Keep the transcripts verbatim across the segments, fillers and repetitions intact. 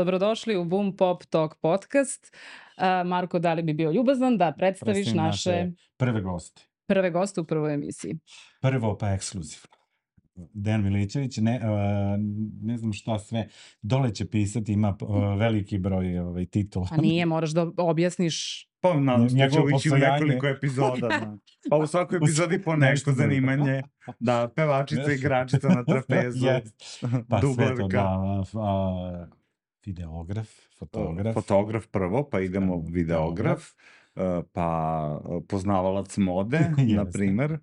dobrodošli u Boom Pop Talk podcast. Uh, Marko, da li bi bio ljubazan da predstaviš Predstavim naše, naše prve goste. prve goste u prvoj emisiji? Prvo pa ekskluzivno. Dejan Milićević, ne, uh, ne znam šta sve, dole će pisati, ima uh, veliki broj ovaj, titula. A nije, moraš da objasniš. Pa nadam se da će Njegovo ući u postojanje. nekoliko epizoda. Da. Pa u svakoj epizodi po neko zanimanje. Da, pevačica, igračica na trapezu, Yes. Pa sve to dublerka. da, a, videograf, fotograf. Fotograf prvo, pa idemo videograf, uh, pa poznavalac mode, Jeste. na primer.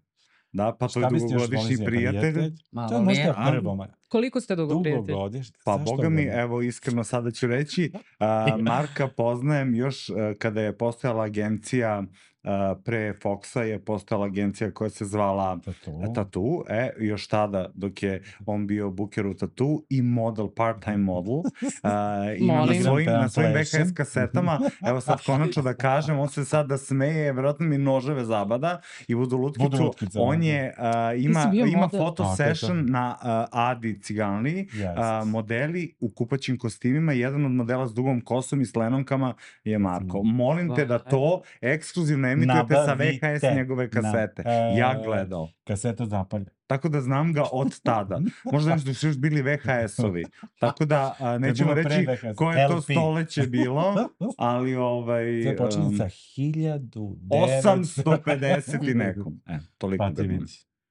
Da, pa to je Šta biste još dugogodišnji volili za prijatelj. To je Malo mi možda je. prvo, ma- Koliko ste dugo dugo prijatelji? godište. Pa Zašto boga mi, ga ne? evo iskreno sada ću reći, a, Marka poznajem još a, kada je postojala agencija, a, pre Foxa je postojala agencija koja se zvala Tattoo. Tattoo, e, još tada dok je on bio booker u Tattoo i model, part-time model, a, ima na Molim. svojim, na svojim V H S Plešem. kasetama, evo sad konačno da kažem, on se sad da smeje, vjerojatno mi noževe zabada i budu lutkicu, Budu lutkice, on da. je, a, Ti ima, si bio ima model. foto Tako je to. session na a, Adi Ciganliji, Yes. a, modeli u kupaćim kostimima, jedan od modela s dugom kosom i s lenonkama je Marko. Mm. Molim te da to ekskluzivno emitujete sa V H S Nabavite. njegove kasete. Na- e, Ja gledao. Kaseta zapalja. Tako da znam ga od tada. Možda nešto su još bili V H S-ovi. Tako da a, nećemo bilo pre reći V H S, koje to L P. stoleće bilo, ali ovaj... Sve počinje um, sa hiljadu devetsto osamsto pedeset i nekom. E, toliko Pa ti da vidi.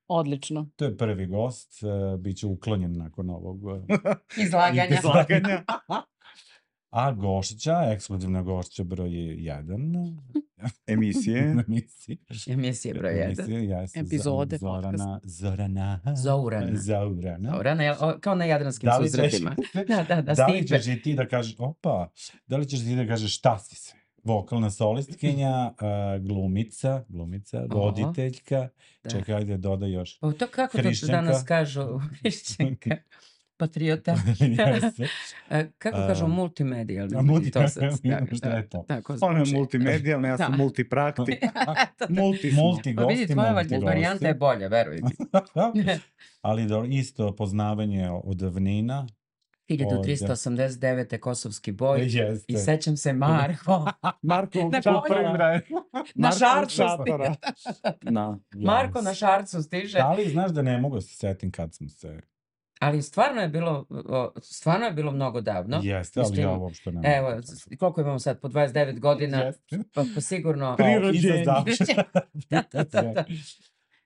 Odlično. To je prvi gost, uh, bit će uklonjen nakon ovog uh, Izlaganja. izlaganja. a gošća, ekskluzivna gošća broj jedan Emisije. emisije. Emisije broj jedan. Emisije, jeste, Epizode Zorana, Zorana. Zourana. Zorana. Zourana, jel, o, kao na jadranskim Da li ćeš, susretima. Da, da, da, da li Stipe. ćeš i ti da kažeš, opa, da li ćeš ti da kažeš šta si sve? Vokalna solistkinja, uh, glumica, glumica, Oho. voditeljka, Da. čekaj, ajde, dodaj još. O, to kako to Hrišćanka. danas kažu? Hrišćanka. Patriota. Jeste. E, kako A, kažu multimedijalni? a multi- To sad, da, šta je to? Tako Ona je zvuči. multimedijalna, ja sam Da. multipraktik. Eto, da. Multi smo. Multi Pa gosti, vidi, tvoja multi varijanta je bolja, veruj mi. Ali do, isto poznavanje od davnina. hiljadu trista osamdeset devete kosovski boj. Jeste. I sećam se Marko. Marko Na šatora. Na Marko šarcu šatora. Da. Marko na šarcu stiže. Da li znaš da ne mogu da se setim kad smo se... Ali stvarno je bilo, o, stvarno je bilo mnogo davno. Jeste, ali Mislim, ja uopšte ne mogu. Evo, s- koliko imamo sad? Po dvadeset devet godina? Jeste. Pa, pa sigurno... Pri Kao rođenju. iza završetka. Da, da, da, da.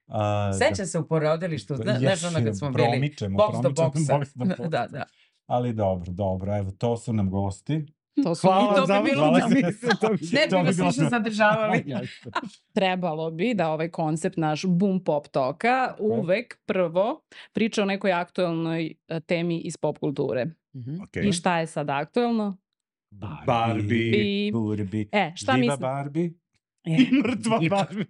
A, Sećam se u porodilištu, zna, znaš ono kad smo bili promičemo, box do promičemo, boxa. box do boxa. Da, da. Ali dobro, dobro, evo, to su nam gosti. To su Hvala i to za bi bilo hvala da za- bi- Ne bi To vas bilo više dobro. zadržavali. Jeste. trebalo bi da ovaj koncept naš Boom Pop Talka uvek prvo priča o nekoj aktuelnoj e, temi iz pop kulture. Mhm. Okej. I šta je sad aktuelno? Barbie. I, Burbi. e, šta Živa mislim? Barbie. E, Mrtva Barbie.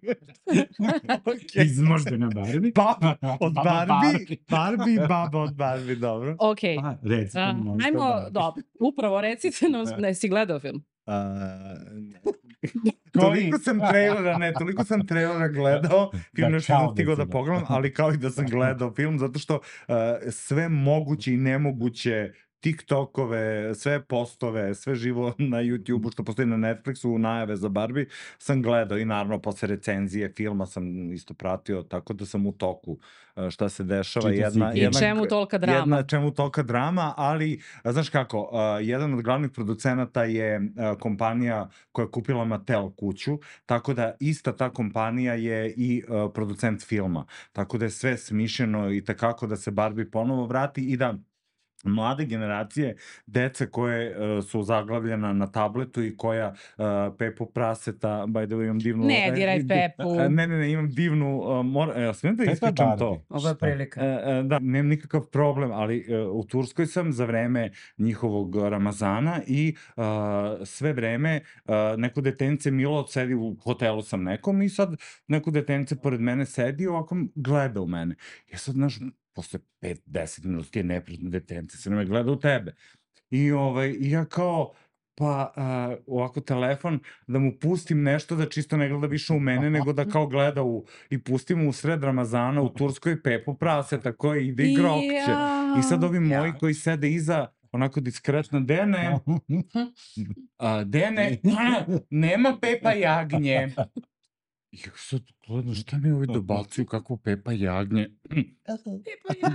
Okej. Izmoždena Barbie. Baba od Baba Barbie. Barbie i baba od Barbie, dobro. ok. Pa, recite A, mi možda ajmo, Barbie. dobro, upravo recite nam, ne si gledao film? A, toliko sam trailera, ne, toliko sam trailera gledao, film Da, još kao nisam da stigao si da gledao. pogledam, ali kao i da sam gledao film, zato što uh, sve moguće i nemoguće TikTokove, sve postove, sve živo na YouTubeu što postoji na Netflixu, najave za Barbie, sam gledao i naravno posle recenzije filma sam isto pratio, tako da sam u toku uh, šta se dešava. Čitao si Jedna, i I jedna, čemu tolika drama? Jedna, čemu tolika drama, ali, a, znaš kako, uh, jedan od glavnih producenata je uh, kompanija koja je kupila Mattel kuću, tako da ista ta kompanija je i uh, producent filma. Tako da je sve smišljeno i takako da se Barbie ponovo vrati i da mlade generacije, dece koje uh, su zaglavljena na tabletu i koja uh, Pepu Praseta, by the way, imam divnu... Ne diraj Pepu. E, ne, ne, ne, imam divnu... Uh, mor, e, smijem da Pepa ispričam to? Barbie. Ovo je Šta? prilika. E, e, da, nemam nikakav problem, ali e, u Turskoj sam za vreme njihovog Ramazana i uh, sve vreme uh, neko detence Milo sedi u hotelu sam nekom i sad neko detence pored mene sedi i ovako gleda u mene. Ja sad, znaš, posle pet deset minuta ti je neprijatno detence, se ne gleda u tebe. I, ovaj, i ja kao, pa uh, ovako telefon, da mu pustim nešto da čisto ne gleda više u mene, nego da kao gleda u, i pustim mu u sred Ramazana u Turskoj Pepu Praseta koji ide i grokće. I sad ovi moji Ja. koji sede iza onako diskretno, Dene, a, Dene, nema Pepa Jagnje. I ja sad gledam, šta mi ovi dobacuju, kakvo Pepa Jagnje.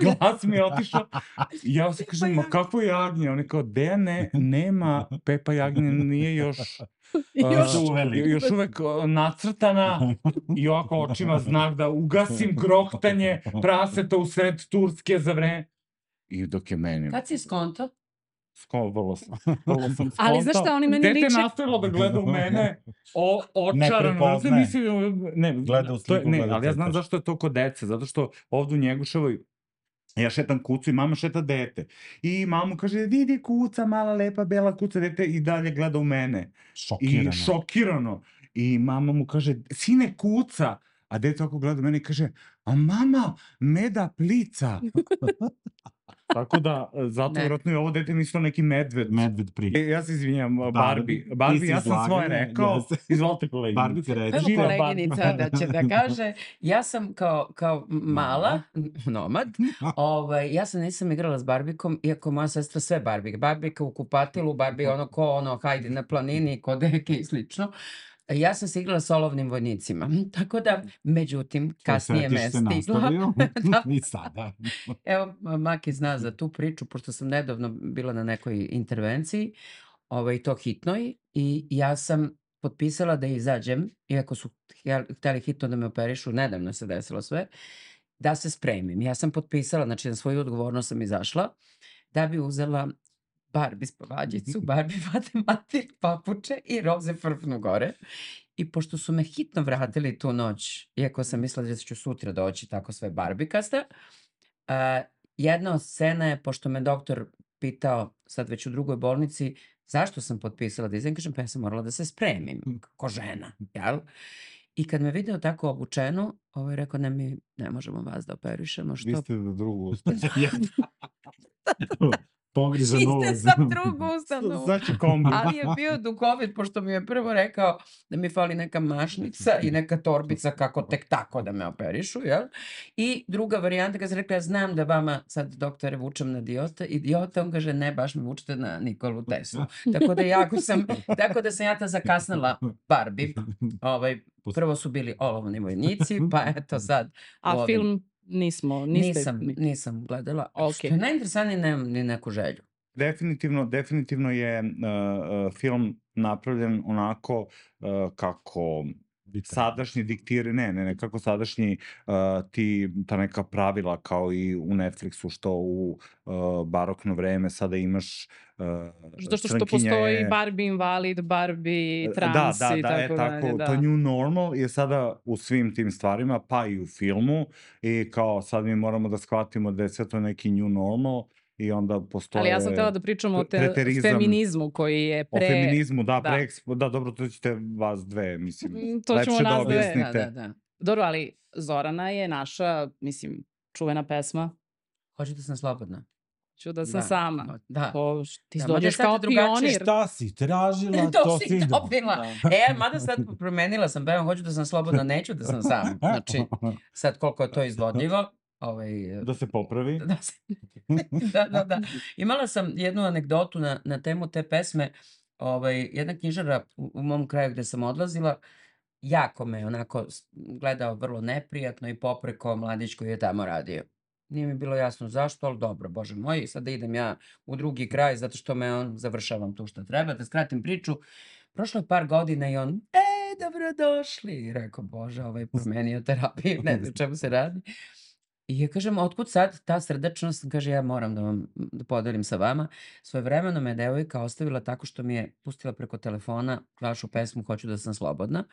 Glas mi je otišao. I ja se kažem, ma kakvo Jagnje? Oni kao, Dene, nema Pepa Jagnje, nije još... Još Uh, uveli. još uvek uh, nacrtana i ovako očima znak da ugasim grohtanje praseta u sred Turske za vreme. I dok je meni... Kad si skonto? Sko, vrlo sam, vrlo sam skontao. Ali znaš šta, oni meni Dete liče... nastavilo da gleda u mene, o, Ne očarano. prepoznaje. Mislim, ne, Gleda u to je, sliku, ne, gleda ali ja znam crtač. zašto je to kod dece, zato što ovdje u Njeguševoj ja šetam kucu i mama šeta dete. I mama kaže, vidi kuca, mala lepa bela kuca, dete i dalje gleda u mene. Šokirano. I šokirano. I mama mu kaže, sine kuca. A dete ovako gleda u mene i kaže, a mama, meda plica. Tako da, zato Ne. vjerojatno je ovo dete mislilo neki medved. Medved pri. E, ja se izvinjam, Barbie. Barbie, Barbie, ti si ja sam svoje izlaganje, rekao. ja se- Izvolite koleginice. Barbie ti reći. Evo Živeo koleginica da će da kaže, ja sam kao, kao mala, nomad, ovaj, ja sam nisam igrala s Barbikom, iako moja sestra sve Barbike. Barbika u kupatilu, Barbie ono ko ono, hajde na planini, kod deke i slično. Ja sam se igrala s olovnim vojnicima. Tako da, međutim, kasnije me je se Da. nastavio Da. i sada. Evo, Maki zna za tu priču, pošto sam nedavno bila na nekoj intervenciji, ovaj, to hitnoj, i ja sam potpisala da izađem, iako su htjeli- htjeli hitno da me operišu, nedavno se desilo sve, da se spremim. Ja sam potpisala, znači na svoju odgovornost sam izašla, da bi uzela Barbie spavađicu, Barbie matematik, papuče i roze frfnu gore. I pošto su me hitno vratili tu noć, iako sam mislila da ću sutra doći tako sve barbikasta, a, jedna od scena je, pošto me doktor pitao, sad već u drugoj bolnici, zašto sam potpisala da izađem, kažem, pa ja sam morala da se spremim, ko žena, jel? I kad me video tako obučenu, ovaj rekao, ne, mi ne možemo vas da operišemo, Vi što... ste za drugu. Pogrižan Vi ste ulaz. za drugu ustanovu. Znači kombi. Ali je bio duhovit, pošto mi je prvo rekao da mi fali neka mašnica i neka torbica kako tek tako da me operišu, jel? I druga varijanta, kad sam rekla, ja znam da vama sad, doktore, vučem na idiota, idiota, on kaže, ne, baš me vučete na Nikolu Teslu. Tako da jako sam, tako da sam ja ta zakasnila Barbie. Ovaj, prvo su bili olovni vojnici, pa eto sad. A ovim- film nismo, niste... Nisam, nisam gledala. Ok. Što je najinteresantnije, nemam ni neku želju. Definitivno, definitivno je uh, uh, film napravljen onako uh, kako sadašnji diktiri, ne, ne, ne, kako sadašnji uh, ti, ta neka pravila kao i u Netflixu, što u uh, barokno vreme sada imaš uh, Zato što, što crnkinja postoji je- Barbie invalid, Barbie Da, trans da, i da, tako e, dalje. tako, Da. to new normal je sada u svim tim stvarima, pa i u filmu, i kao sad mi moramo da shvatimo da je sve to neki new normal i onda postoje... Ali ja sam htjela da pričam o te, preterizam, feminizmu koji je pre... O feminizmu, da, da. pre, ekspo- da, dobro, to ćete vas dve, mislim, Mm, to lepše ćemo da nas dve. objasnite. Da, da, da. Dobro, ali Zorana je naša, mislim, čuvena pesma. Hoću da sam slobodna. Ću da sam Da. sama. Da. To, š- ti Da, mada dođeš sad kao je drugačije. pionir. Šta si tražila, To to si si dobila. dobila. E, mada sad promenila sam, pevam, hoću da sam slobodna, neću da sam sama. Znači, sad koliko je to izvodljivo, ovaj, Da se popravi. da, se- da, da, da. Imala sam jednu anegdotu na, na temu te pesme. Ovaj, jedna knjižara u, u mom kraju gde sam odlazila, jako me onako s- gledao vrlo neprijatno i popreko mladić koji je tamo radio. Nije mi bilo jasno zašto, ali dobro, bože moj, sada idem ja u drugi kraj zato što me on, završavam tu što treba, da skratim priču. Prošlo je par godina i on, e, dobrodošli. I rekao, bože, ovaj promenio terapiju, ne znam čemu se radi. I ja kažem, otkud sad ta srdačnost? Kaže, ja moram da vam da podelim sa vama. Svojevremeno me devojka ostavila tako što mi je pustila preko telefona vašu pesmu Hoću da sam slobodna.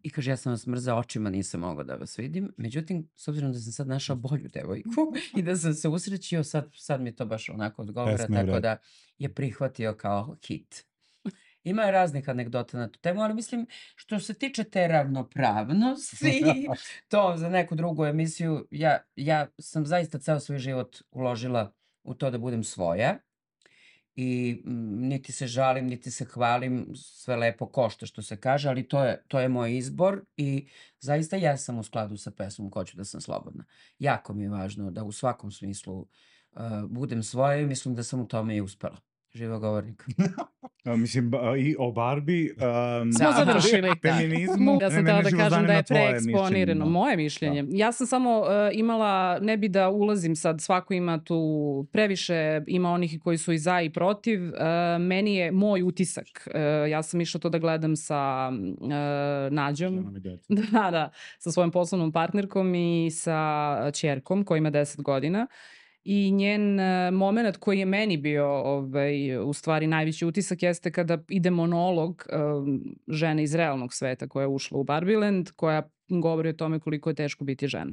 I kaže, ja sam vas mrzao očima, nisam mogao da vas vidim. Međutim, s obzirom da sam sad našao bolju devojku i da sam se usrećio, sad, sad mi to baš onako odgovara, Pesma je u tako redu. da je prihvatio kao hit. Ima je raznih anegdota na tu temu, ali mislim, što se tiče te ravnopravnosti, to za neku drugu emisiju, ja, ja sam zaista ceo svoj život uložila u to da budem svoja i mm, niti se žalim, niti se hvalim, sve lepo košta što se kaže, ali to je, to je moj izbor i zaista ja sam u skladu sa pesmom Hoću da sam slobodna. Jako mi je važno da u svakom smislu uh, budem svoja i mislim da sam u tome i uspela. Živo govornik. A, mislim, ba- i o Barbie, um, Smo Da. završili. feminizmu, Ja sam mene htela da živo kažem da zanima je tvoje preeksponirano. mišljenje. Moje mišljenje. Ja sam samo uh, imala, ne bi da ulazim sad, svako ima tu previše, ima onih koji su i za i protiv. Uh, meni je moj utisak. Uh, ja sam išla to da gledam sa uh, Nađom. Ženom i decom. Da, da, sa svojom poslovnom partnerkom i sa ćerkom koja ima deset godina. I njen uh, moment koji je meni bio ovaj, u stvari najveći utisak jeste kada ide monolog um, žene iz realnog sveta koja je ušla u Barbieland, koja govori o tome koliko je teško biti žena.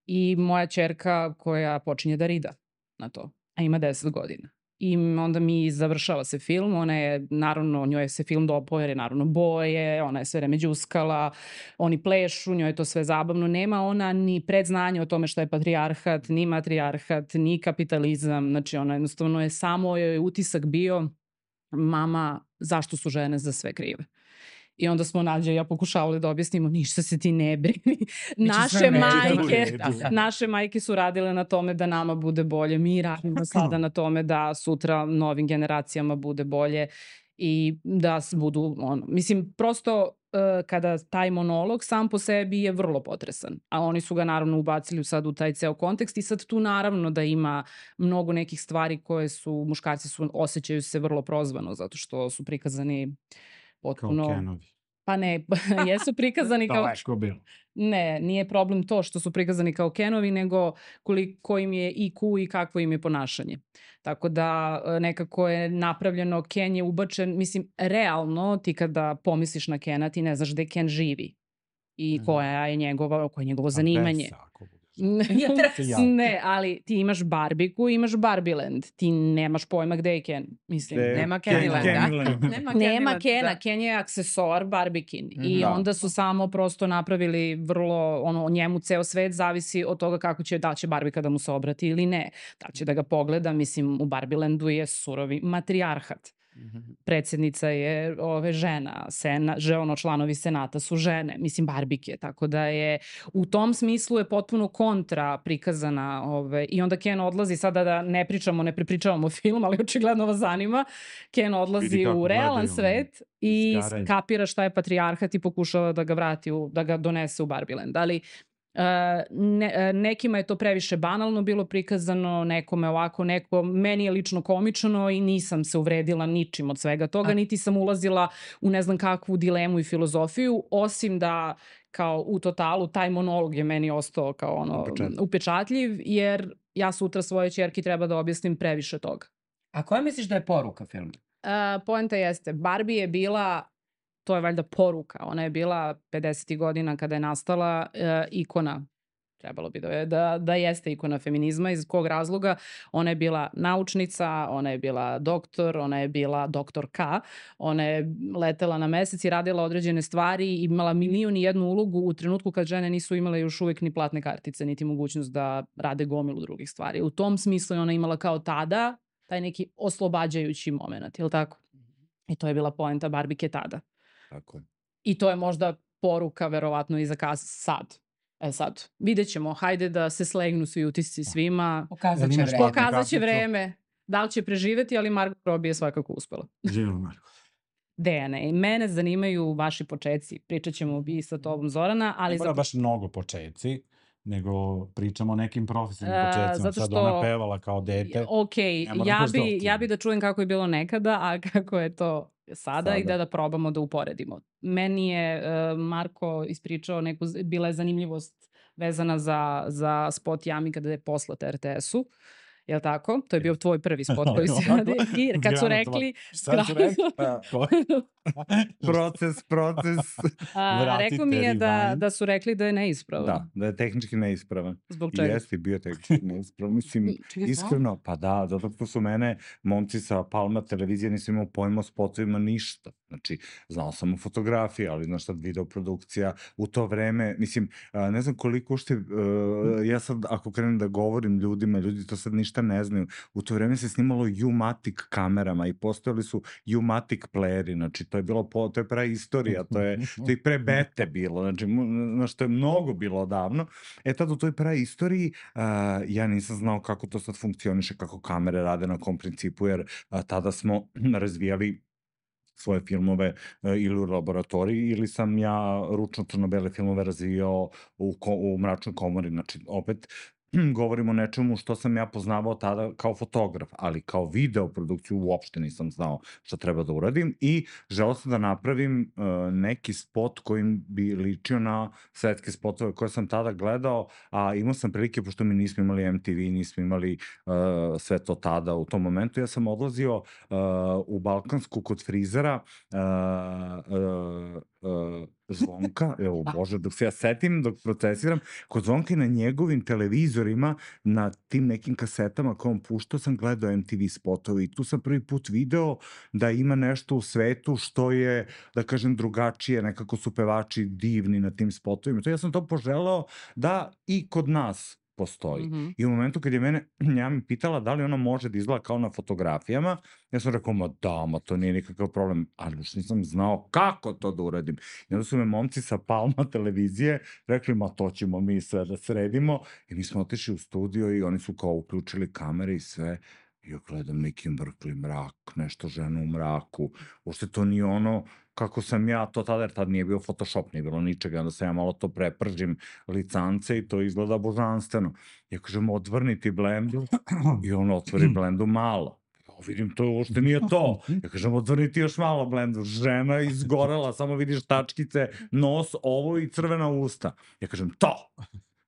I moja ćerka koja počinje da rida na to, a ima deset godina. I onda mi završava se film, ona je, naravno, njoj se film dopao jer je naravno boje, ona je sve vreme đuskala, oni plešu, njoj je to sve zabavno. Nema ona ni predznanje o tome šta je patrijarhat, ni matrijarhat, ni kapitalizam. Znači, ona jednostavno je samo joj utisak bio mama, zašto su žene za sve krive. I onda smo Nađa i ja pokušavali da objasnimo, ništa se ti ne brini. Naše sve majke, Da, da. naše majke su radile na tome da nama bude bolje. Mi radimo sada na tome da sutra novim generacijama bude bolje i da s- budu, ono, mislim, prosto uh, kada taj monolog sam po sebi je vrlo potresan, a oni su ga naravno ubacili sad u taj ceo kontekst i sad tu naravno da ima mnogo nekih stvari koje su, muškarci su, osjećaju se vrlo prozvano zato što su prikazani Kao potpuno... Kenovi. Pa ne, jesu prikazani kao... Daleko bilo. Ne, nije problem to što su prikazani kao Kenovi, nego koliko im je I Q i kakvo im je ponašanje. Tako da e, nekako je napravljeno, Ken je ubačen, mislim, realno ti kada pomisliš na Kena, ti ne znaš gde Ken živi i Mhm. koja je njegova, koje je njegovo A zanimanje. Besa, ako budeš. Ja treba- Se ja. Ne, ali ti imaš Barbiku i imaš Barbieland. Ti nemaš pojma gde je Ken. Mislim, Gde je Nema Ken- Kennyland, da? Kennyland. Nema Nema Kennyland, Kena, da. Ken je aksesoar Barbikin i Da. onda su samo prosto napravili vrlo, ono, njemu ceo svet zavisi od toga kako će, da će Barbika da mu se obrati ili ne, da će da ga pogleda, mislim, u Barbielandu je surovi matrijarhat. Mhm. Predsjednica je ove žena, sena, že ono članovi senata su žene, mislim Barbike, tako da je u tom smislu je potpuno kontra prikazana ove, i onda Ken odlazi, sada da ne pričamo, ne prepričavamo film, ali očigledno vas zanima, Ken odlazi Vidi kako u realan gledaju, svet i izgaraju. kapira šta je patrijarhat i pokušava da ga vrati, u, da ga donese u Barbieland, ali Uh, ne, uh, nekima je to previše banalno bilo prikazano, nekome ovako, neko, meni je lično komično i nisam se uvredila ničim od svega toga, A- niti sam ulazila u ne znam kakvu dilemu i filozofiju, osim da kao u totalu taj monolog je meni ostao kao ono Upečatljiv. upečatljiv, jer ja sutra svojoj ćerki treba da objasnim previše toga. A koja misliš da je poruka filma? Uh, poenta jeste, Barbie je bila, to je valjda poruka, ona je bila pedesetih godina kada je nastala uh, ikona, trebalo bi da, je, da, da jeste ikona feminizma, iz kog razloga ona je bila naučnica, ona je bila doktor, ona je bila doktorka, ona je letela na mesec i radila određene stvari i imala milion i jednu ulogu u trenutku kad žene nisu imale još uvijek ni platne kartice, niti mogućnost da rade gomilu drugih stvari. U tom smislu je ona imala kao tada taj neki oslobađajući moment, je li tako? I to je bila poenta Barbike tada. Tako je. I to je možda poruka verovatno i za kas sad. E sad, vidjet ćemo, hajde da se slegnu svi utisci svima. Pokazat Jel će imaš vreme. pokaz- Pokazat će karticu? vreme da li će preživeti, ali Margot Robbie je svakako uspela. Živjelo Marko. Dejane, i mene zanimaju vaši početci. Pričat ćemo i sa tobom Zorana, ali Ne mora za... baš mnogo početci, nego pričamo o nekim profesionalnim E, početcima. zato Sad što- ona pevala kao dete. Ok, Ne moram ja baš bi, dosta. ja bi da čujem kako je bilo nekada, a kako je to sada, i Sada. da da probamo da uporedimo. Meni je uh, Marko ispričao neku, z- bila je zanimljivost vezana za, za spot Jami kada je poslata R T S-u. Jel tako? To je bio tvoj prvi spot koji si Ovako, radio. I kad su zgranatova. rekli... Šta su rekli? Ko? Proces, proces. A, Vratite rekao mi je da, rewind. da su rekli da je neispravan. Da, da je tehnički neispravan. Zbog I čega? jeste bio tehnički neispravan. Mislim, Čekaj, iskreno, pa da, zato što su mene momci sa Palma televizije, nisam imao pojma o spotovima ništa. Znači, znao sam o fotografiji, ali znaš sad videoprodukcija u to vreme, mislim, a, ne znam koliko ušte, uh, ja sad ako krenem da govorim ljudima, ljudi to sad ništa ne znaju, u to vreme se snimalo U-Matic kamerama i postojali su U-Matic playeri, znači to je bilo, po, to je preistorija, to je, to je pre bete bilo, znači, znaš, to je mnogo bilo odavno. E tad u toj preistoriji uh, ja nisam znao kako to sad funkcioniše, kako kamere rade, na kom principu, jer uh, tada smo razvijali svoje filmove uh, ili u laboratoriji, ili sam ja ručno crno-bele filmove razvijao u, ko, u mračnoj komori, znači opet govorimo o nečemu što sam ja poznavao tada kao fotograf, ali kao video produkciju uopšte nisam znao šta treba da uradim i želeo sam da napravim uh, neki spot kojim bi ličio na svetske spotove koje sam tada gledao, a imao sam prilike, pošto mi nismo imali em te ve, nismo imali uh, sve to tada u tom momentu, ja sam odlazio uh, u Balkansku kod frizera, uh, uh, uh, Zvonka, evo bože, dok se ja setim, dok procesiram, kod Zvonka i na njegovim televizorima, na tim nekim kasetama koje on puštao, sam gledao em te ve spotove i tu sam prvi put video da ima nešto u svetu što je, da kažem, drugačije, nekako su pevači divni na tim spotovima. To ja sam to poželeo da i kod nas postoji. Mm -hmm. I u momentu kad je mene, ja mi pitala da li ona može da izgleda kao na fotografijama, ja sam rekao, ma da, ma to nije nikakav problem, ali još nisam znao kako to da uradim. I onda su me momci sa Palma televizije rekli, ma to ćemo mi sve da sredimo, i mi smo otišli u studio i oni su kao uključili kamere i sve, i ja gledam neki mrkli mrak, nešto žena u mraku, uopšte to nije ono kako sam ja to tada, jer tad nije bio Photoshop, nije bilo ničega, onda sam ja malo to prepržim licance i to izgleda božanstveno. Ja kažem, odvrni ti blendu, i on otvori blendu malo. Ja vidim, to uopšte nije to. Ja kažem, odvrni ti još malo blendu. Žena izgorela, samo vidiš tačkice, nos, ovo i crvena usta. Ja kažem, to!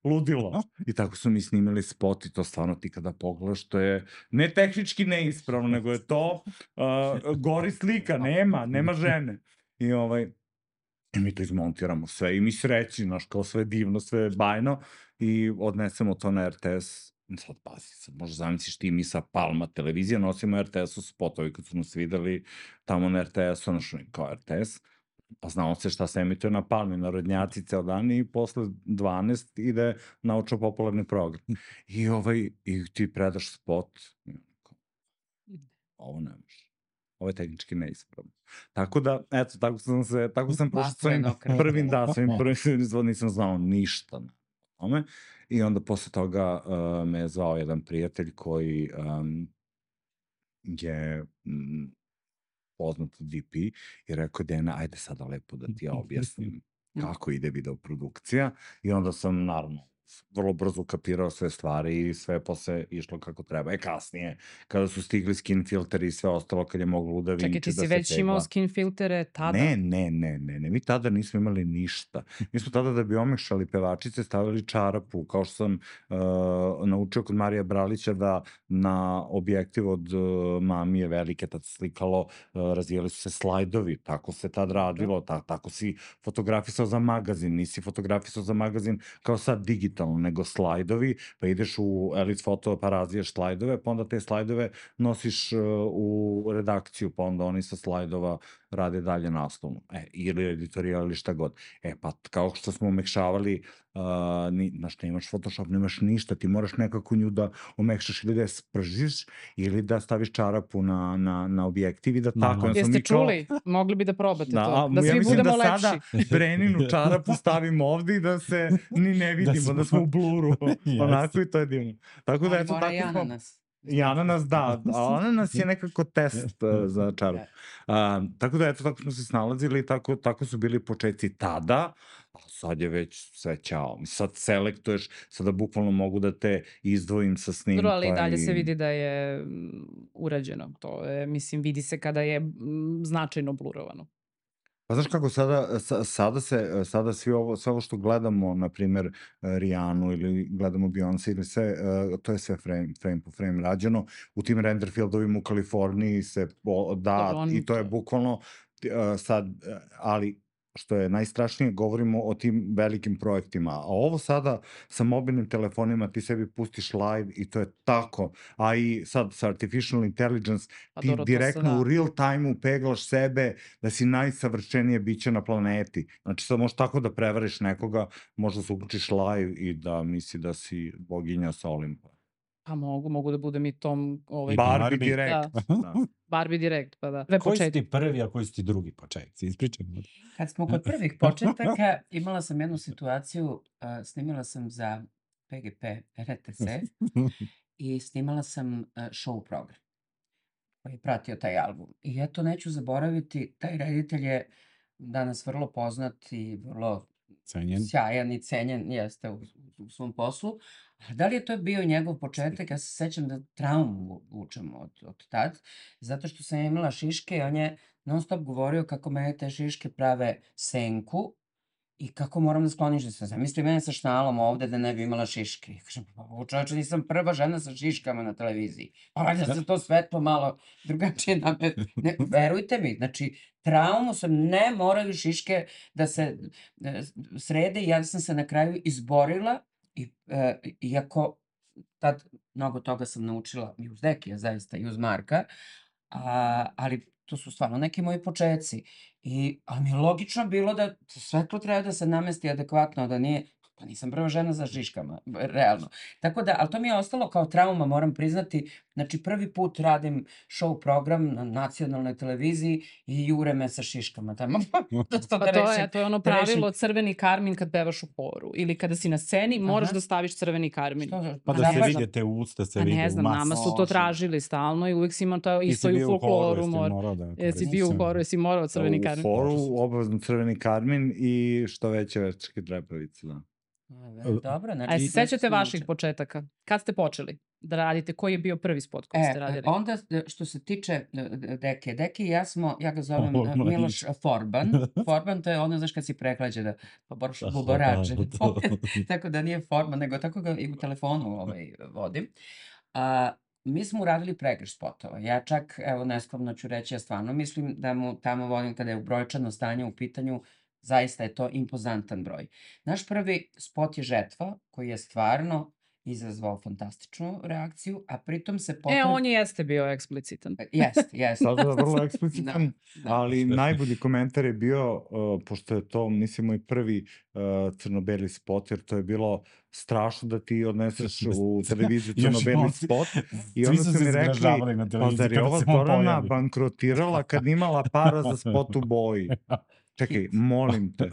Ludilo. I tako su mi snimili spot i to stvarno ti kada pogledaš, to je ne tehnički neispravno, nego je to uh, gori slika, nema, nema žene. I ovaj, i mi to izmontiramo sve i mi sreći, znaš, kao sve divno, sve bajno i odnesemo to na er te es. Sad pazi, sad možda zamisliš ti mi sa Palma televizija, nosimo er te es-u spotovi kad su nas videli tamo na er te es-u, znaš, kao er te es. Pa znao se šta se emituje na Palmi, narodnjaci ceo dan i posle dvanaest ide naučno-popularni program. I, ovaj, i ti predaš spot, ovo ne može. Ovo je tehnički neispravno. Tako da, eto, tako sam se, tako sam prošao svojim prvim, da, svojim prvim izvod, nisam znao ništa na tome. I onda posle toga uh, me je zvao jedan prijatelj koji um, je... Um, poznat de pe i rekao, Dena, ajde sada lepo da ti ja objasnim kako ide videoprodukcija. I onda sam, naravno, vrlo brzo kapirao sve stvari i sve posle išlo kako treba. E kasnije, kada su stigli skin filteri i sve ostalo, kad je moglo da Vinci da se Čekaj, ti si tegla. već imao skin filtere tada? Ne, ne, ne, ne, ne, mi tada nismo imali ništa. Mi smo tada da bi omešali pevačice stavili čarapu, kao što sam uh, naučio kod Marija Bralića da na objektiv od uh, mamije velike, tad se slikalo, uh, razvijali su se slajdovi, tako se tad radilo, ta, tako si fotografisao za magazin, nisi fotografisao za magazin kao sad digitalno, nego slajdovi, pa ideš u Elite Photo pa razviješ slajdove, pa onda te slajdove nosiš uh, u redakciju, pa onda oni sa slajdova rade dalje naslovno, e, ili editorijal ili šta god. E, pa kao što smo omekšavali, uh, ni, znaš, nemaš Photoshop, nemaš ništa, ti moraš nekako nju da omekšaš ili da je spržiš, ili da staviš čarapu na, na, na objektiv i da tako. Jeste mi čuli? Kao... Mogli bi da probate da, to, da ja svi budemo da lepši. Sada Breninu čarapu stavimo ovde i da se ni ne vidimo, da smo, da smo u bluru, onako i to je divno. Tako da, eto, tako smo... I ananas, da, a ananas je nekako test uh, za čarapu. Uh, tako da, eto, tako smo se snalazili i tako, tako su bili početci tada, a sad je već sve ćao. Sad selektuješ, sada bukvalno mogu da te izdvojim sa snimka. Dobro, ali i dalje i... se vidi da je urađeno. To je, mislim, vidi se kada je značajno blurovano. Pa znaš kako, sada, sada, se, sada svi ovo, sve ovo što gledamo, na primjer Rijanu ili gledamo Beyoncé ili sve, to je sve frame, frame po frame rađeno. U tim render fieldovima u Kaliforniji se da, dobro, i to je bukvalno sad, ali što je najstrašnije, govorimo o tim velikim projektima. A ovo sada sa mobilnim telefonima ti sebi pustiš live i to je tako. A i sad sa artificial intelligence ti dobro, direktno da. U real time-u peglaš sebe da si najsavršenije biće na planeti. Znači sad možeš tako da prevariš nekoga, možda se uključiš live i da misli da si boginja sa Olimpa. Pa mogu, mogu da budem i Tom... Ovaj, I Barbie Barbie. direkt. Da. Da. Barbie direkt, pa da. Dve Koji su početke. ti prvi, a koji su ti drugi početci? Ispričaj mi. Kad smo kod prvih početaka, imala sam jednu situaciju, uh, snimila sam za P G P R T S i snimala sam uh, show program koji je pratio taj album. I eto, neću zaboraviti, taj reditelj je danas vrlo poznat i vrlo Cenjen. sjajan i cenjen jeste u, u svom poslu. A da li je to bio njegov početak? Ja se sećam da traumu vučem od, od tad, zato što sam imala šiške i on je non stop govorio kako mene te šiške prave senku i kako moram da skloniš da se zamisli mene sa šnalom ovde da ne bi imala šiške. I kažem, pa ovo čoveče, nisam prva žena sa šiškama na televiziji. Pa valjda se to svetlo malo drugačije name... Ne, verujte mi, znači, traumu sam, ne moraju šiške da se e, srede i ja sam se na kraju izborila i e, iako tad mnogo toga sam naučila i uz Dekija zaista i uz Marka, a, ali to su stvarno neki moji početci. I, ali mi je logično bilo da svetlo treba da se namesti adekvatno, da nije, pa nisam prva žena za šiškama, realno. Tako da, ali to mi je ostalo kao trauma, moram priznati, znači prvi put radim show program na nacionalnoj televiziji i jure me sa šiškama tamo. da Pa to rešim- je, to je ono da rešim- pravilo crveni karmin kad pevaš u horu. Ili kada si na sceni, moraš Aha. da staviš crveni karmin. Što- Pa da Ma se ne, vide te usta, se Pa vide ne u znam, masi. nama su to tražili stalno i uvijek si imao to Ti isto si i u bio u horu, folkloru. jesi mor- morao da... Jesi koristiš bio u sve? horu, jesi morao crveni U karmin. foru, obavezno crveni karmin i što veće večke trepavice, da. A, dobro, znači... A jesi nešto sećate sam vaših naučila. početaka? Kad ste počeli da radite? Koji je bio prvi spot koji ste E, radili? onda e, što se tiče e, e, Deke, Deke i ja smo, ja ga zovem O, e, mladić. Miloš Forban. Forban to je ono, znaš, kad si prehlađe da pa boraš Aha, buborače. da, da. Tako da nije Forban, nego tako ga i u telefonu ovaj, vodim. A, mi smo uradili pregrš spotova. Ja čak, evo, neskromno ću reći, ja stvarno mislim da mu tamo volim kada je brojčano stanje u pitanju, zaista je to impozantan broj. Naš prvi spot je Žetva, koji je stvarno izazvao fantastičnu reakciju, a pritom se potom... E, on jeste bio eksplicitan. Jest, jest. Sada je vrlo eksplicitan, Da. ali najbolji komentar je bio, uh, pošto je to, mislim, moj prvi uh, crno-beli spot, jer to je bilo strašno da ti odneseš u televiziju Još crno-beli nosi- spot. I Svi onda su su se mi rekli, zgražavali na pa televiziji zar je kada ova se on Zorana pojavi. bankrotirala kad imala para za spot u boji? Čekaj, molim te.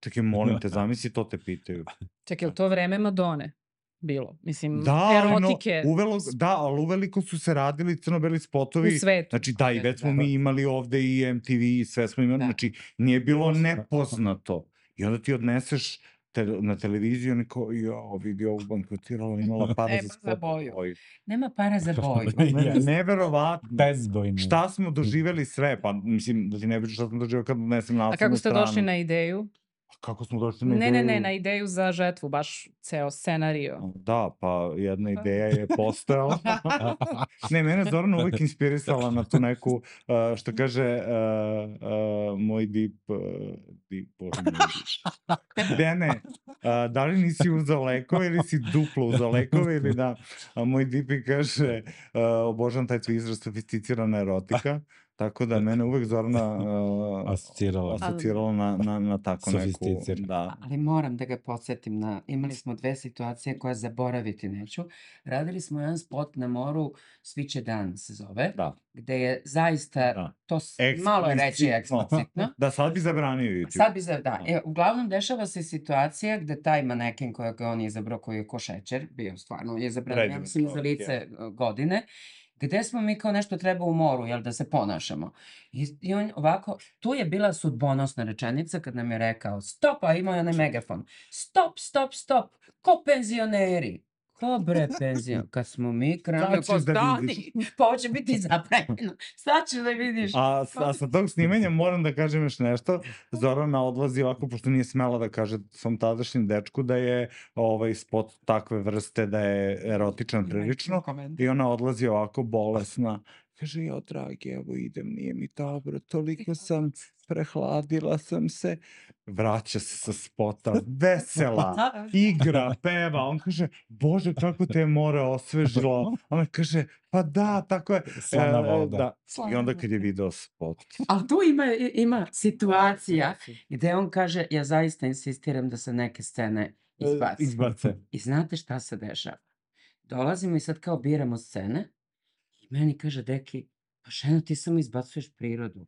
Čekaj, molim te, zamisli, to te pitaju. Čekaj, je li to vreme Madone bilo? Mislim, Da, ali no, erotike uvelo, da, ali uveliko su se radili crno-beli spotovi. u svetu. Znači, da, i već smo Da. mi imali ovde i M T V i sve smo imali. Da. Znači, nije bilo nepoznato. I onda ti odneseš te, na televiziju, neko, ja, vidi ovu bankrotirala, imala para Nema za za spot. boju. Oj. Nema para za boju. Ne, Jeste. neverovatno. Bezbojno. Šta smo doživeli sve? Pa, mislim, da ti ne pričam šta smo doživeli kad odnesem na A kako ste stranu. došli na ideju? Kako smo došli na Ne, ideju? ne, ne, na ideju za žetvu, baš ceo scenario. Da, pa jedna ideja je postojala. Ne, mene je Zorana uvijek inspirisala na tu neku, uh, što kaže uh, uh, moj dip, uh, dip, bože moj dip. Dene, uh, da li nisi uzao lekove ili si duplo uzao lekove ili da, a moj dip mi kaže, uh, obožavam taj tvoj izraz sofisticirana erotika. Tako da mene uvek Zorana uh, Asocirala. asocirala na, na, na tako neku... Sofisticirana. Da. Ali moram da ga podsjetim na, imali smo dve situacije koje zaboraviti neću. Radili smo jedan spot na moru, Sviće dan se zove, Da. gde je zaista, Da. to s- malo je reći Eksplicitno. eksplicitno. Da, sad bi zabranio YouTube. Sad bi za, da, e, uglavnom dešava se situacija gde taj maneken kojeg je on izabrao, koji je ko šećer, bio stvarno izabran, ja Predivan mislim, za čovjek, lice e, godine, gde smo mi kao nešto treba u moru, jel, da se ponašamo. I, i on ovako, tu je bila sudbonosna rečenica kad nam je rekao, stop, a imao je onaj megafon, stop, stop, stop, ko penzioneri. Ko bre penzion? Kad smo mi krenuli, Sad ćeš ko da vidiš. stani, pa ovo će biti zabranjeno. Sad ćeš da vidiš. A, s- a sa tog snimanja moram da kažem još nešto. Zorana odlazi ovako, pošto nije smela da kaže svom tadašnjem dečku da je ovaj spot takve vrste, da je erotičan prilično. I ona odlazi ovako bolesna. Kaže, jo, dragi, evo idem, nije mi dobro, toliko sam, prehladila sam se. Vraća se sa spota, vesela, igra, peva. On kaže, bože, kako te je more osvežilo. Ona kaže, pa da, tako je. Slana E, voda. Da. I onda kad je video spot. Ali tu ima, ima situacija gde on kaže, ja zaista insistiram da se neke scene izbaci. Izbace. I znate šta se dešava? dolazimo i sad kao biramo scene i meni kaže Deki, pa ženo ti samo izbacuješ prirodu.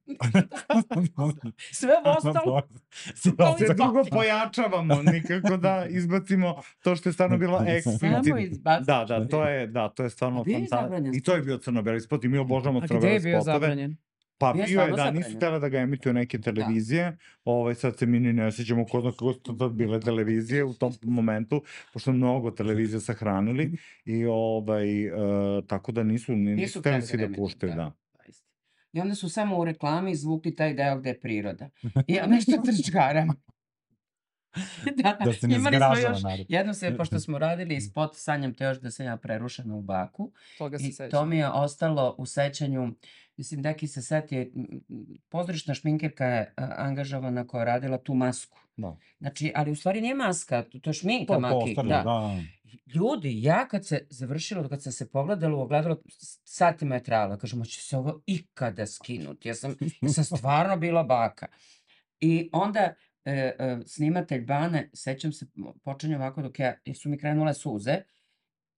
Sve ostalo kao Sve drugo izbaci. pojačavamo, nikako da izbacimo to što je stvarno bilo Samo eksplicitno. izbaciš Da, da, to prirodu. je, da, to je A stvarno bio je fantastično. zabranjen I to je spot. bio crno-beli spot i mi obožavamo A gde je crno-bele bio spotove. zabranjen? Pa Bio je bio je, stvarno da, nisu zabranjen. htjela da ga emituju neke Da. televizije, ovaj, sad se mi ni ne sjećamo ko zna kako su to bile televizije u tom momentu, pošto mnogo televizija sahranili i ovaj, uh, tako da nisu, ni- Nisu nisu hteli htjeli da svi ga da emituju, puštaju, da. da. Zaista. I onda su samo u reklami izvukli taj deo gde je priroda. I ja nešto trčkaram. Da, Da se ne imali smo zgražava još, narod. jedno se, pošto smo radili spot, sanjam te još da sam ja prerušena u baku. Toga se I to sećam. mi je ostalo u sećanju, mislim, Deki se setio, m, m, pozorišna šminkerka je a, angažovana koja je radila tu masku. Da. Znači, ali u stvari nije maska, to, to je šminka To je maki. postavljeno, Da. da. Ljudi, ja kad se završilo, kad sam se pogledala u ogledalo, s- satima je trajalo. Kažem, hoće se ovo ikada skinuti. Ja sam, ja sam stvarno bila baka. I onda e, e, snimatelj Bane, sećam se, m, počinje ovako dok ja, jer su mi krenule suze,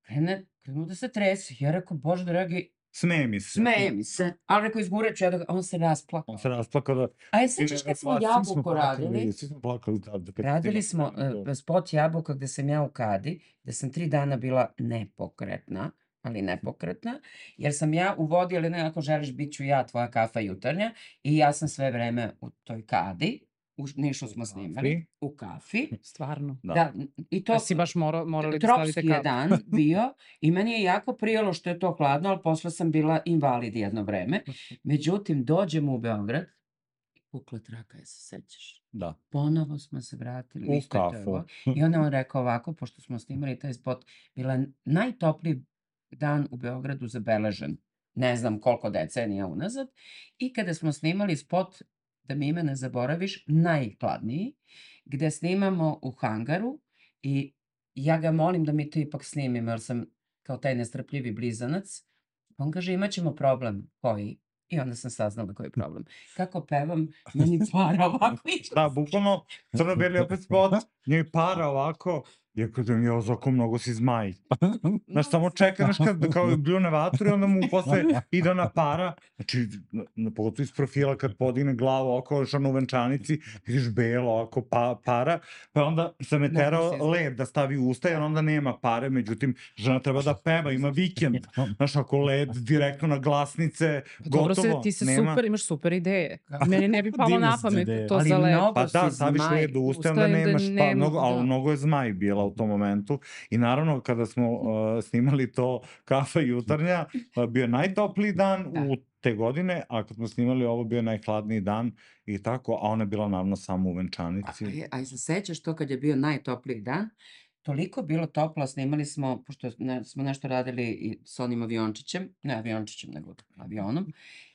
krene, krenu da se tresi. Ja rekao, Bože dragi, Smeje mi se. smeje mi se. Ali rekao, izgureću ja da ga, on se rasplakao. On se rasplakao da... A je sećaš kad smo Svi smo Jabuku plakali, radili? Svi smo plakali tada. kad Radili snimamo smo taj video. e, spot Jabuka gde sam ja u kadi, gde sam tri dana bila nepokretna, ali nepokretna, jer sam ja u vodi, ali ne ako želiš, bit ću ja tvoja kafa jutarnja i ja sam sve vreme u toj kadi, u Nišu smo snimali, kafi. u kafi. Stvarno. Da. Da, i to To si baš mora, morali da stavite tropski je kapu. dan bio i meni je jako prijalo što je to hladno, ali posle sam bila invalid jedno vreme. Međutim, dođemo u Beograd, pukla traka, je se sećaš? Da. Ponovo smo se vratili U isto je to kafu. ovo. I onda on rekao ovako, pošto smo snimali taj spot, bila je najtopliji dan u Beogradu zabeležen, ne znam koliko decenija unazad, i kada smo snimali spot, da mi ime ne zaboraviš, najhladniji, gde snimamo u hangaru i ja ga molim da mi to ipak snimimo, jer sam kao taj nestrpljivi blizanac. On kaže, imat ćemo problem. Koji? I onda sam saznala koji je problem. Kako pevam, meni para ovako išla. Da, bukvalno, crno-beli opet spot, njoj para ovako, ja kažem, jo, Zoko, mnogo si zmaj. Znaš, samo čeka, znaš, kad kao bljune vatru i onda mu posle ide ona para, znači, na, na, pogotovo iz profila kad podigne glavu oko, još ono u venčanici, vidiš belo, oko pa, para, pa onda sam je Mnogo terao si zmaj. led da stavi u usta, jer onda nema pare, međutim, žena treba da peva, ima vikend, znaš, ako led direktno na glasnice, Pa dobro se, gotovo, ti se nema. super, imaš super ideje. Meni ne bi palo Divne na su pamet ideje. to Ali za led. mnogo Pa da, si staviš zmaj. led u usta, onda Ustajem da nemaš, pa nema, mnogo, ali da. mnogo je zmaj bila u tom momentu. I naravno, kada smo uh, snimali to Kafa jutarnja, uh, bio je najtopliji dan Da. u te godine, a kad smo snimali ovo, bio je najhladniji dan i tako, a ona je bila naravno samo u A, venčanici. a, je- a se sećaš to kad je bio najtopliji dan? Toliko bilo toplo, snimali smo, pošto ne, smo nešto radili i s onim aviončićem, ne aviončićem, nego avionom,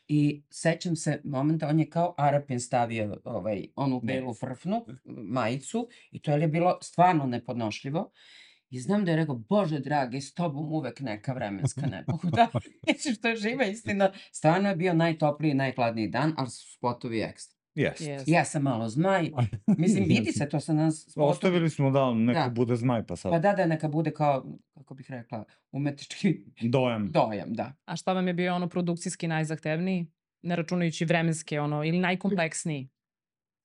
i sećam se momenta, on je kao Arapin stavio ovaj, onu Ne. belu frfnu, majicu, i to je bilo stvarno nepodnošljivo. I znam da je rekao, Bože dragi, s tobom uvek neka vremenska nepogoda. Mislim, što je živa istina. Stvarno je bio najtopliji i najhladniji dan, ali su spotovi ekstra. Jeste. Yes. Ja sam malo zmaj. Mislim, vidi se to sa nas spotovi. Ostavili smo da neko Da. bude zmaj, pa sad Pa da, da, neka bude kao, kako bih rekla, umetnički dojam. dojam, da. A šta vam je bio ono produkcijski najzahtevniji? Ne računajući vremenske, ono, ili najkompleksniji?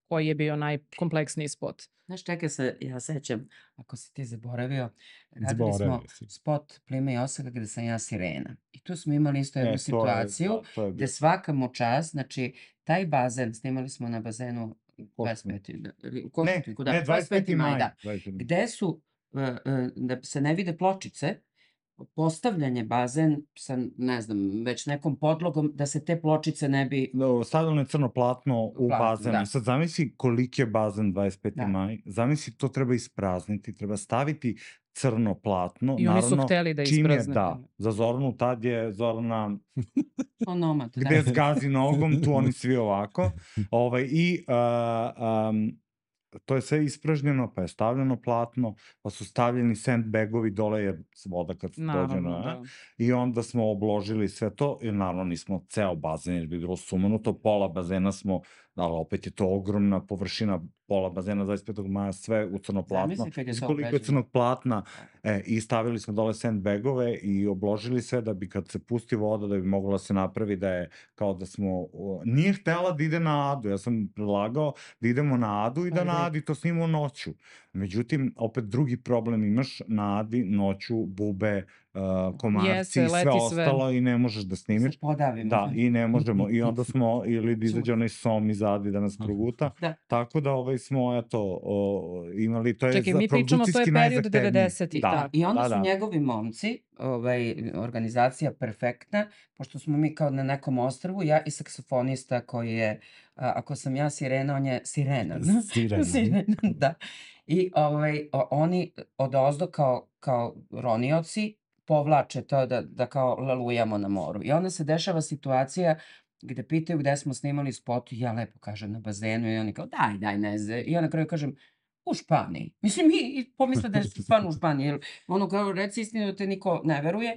Koji je bio najkompleksniji spot? Znaš, čekaj se, ja sećam, ako si ti zaboravio, radili smo Zaboravio si. spot Plime i Osaka gde sam ja sirena. I tu smo imali isto jednu E, to je, situaciju da, to je gde bilo. svaka mu čast, znači, taj bazen, snimali smo na bazenu dvadeset peti, da, ili u Ne, Košutnjaku, da, ne, dvadeset peti maj, da. dvadeset peti maj. Gde su, e, e, da se ne vide pločice, postavljanje bazen sa, ne znam, već nekom podlogom, da se te pločice ne bi... No, stavljeno je crno platno u Platno, bazenu. da. I sad zamisli koliki je bazen dvadeset peti Da. maj. Zamisli to treba isprazniti, treba staviti crno platno. I oni su Naravno, hteli da čim je, isprazne. da, za Zoranu tad je Zorana Onomad, da. gde zgazi nogom, tu oni svi ovako. Ovaj, I uh, um, to je sve ispražnjeno, pa je stavljeno platno, pa su stavljeni sandbagovi dole, jer voda kad se dođe Naravno, na... da. I onda smo obložili sve to, i naravno nismo ceo bazen, jer bi bilo sumanuto, pola bazena smo ali opet je to ogromna površina, pola bazena dvadeset petog maja, sve u crnoplatno. Zamisli kad je Mislim to koliko je obrađeno. crnog platna, Da. e, i stavili smo dole sandbagove i obložili sve da bi kad se pusti voda, da bi moglo da se napravi da je kao da smo, o, nije htela da ide na Adu, ja sam predlagao da idemo na Adu i da Ali na da- Adi to snimamo noću. Međutim, opet drugi problem imaš, na Adi noću bube, uh, komarci Jeste, i sve leti sve. ostalo i ne možeš da snimiš. Se podavimo. Da, i ne možemo. I onda smo, ili da izađe onaj som iz Adi da nas proguta. Da. Tako da ovaj smo, eto, o, imali, to je Čekaj, za mi pričamo, to je produkcijski period najzahtevniji. devedesetih, Da, tako. I onda da, su da. njegovi momci, ovaj, organizacija perfektna, pošto smo mi kao na nekom ostrvu, ja i saksofonista koji je, a, ako sam ja sirena, on je sirena. Sirena. Sirena, da. I ovaj, o- oni odozdo kao, kao ronioci povlače to da, da kao lalujamo na moru. I onda se dešava situacija gde pitaju gde smo snimali spot i ja lepo kažem na bazenu i oni kao daj, daj, ne zna. I ja na kraju kažem u Španiji. Mislim, mi i pomisle da je stvarno u Španiji, jer ono kao reci istinu da te niko ne veruje.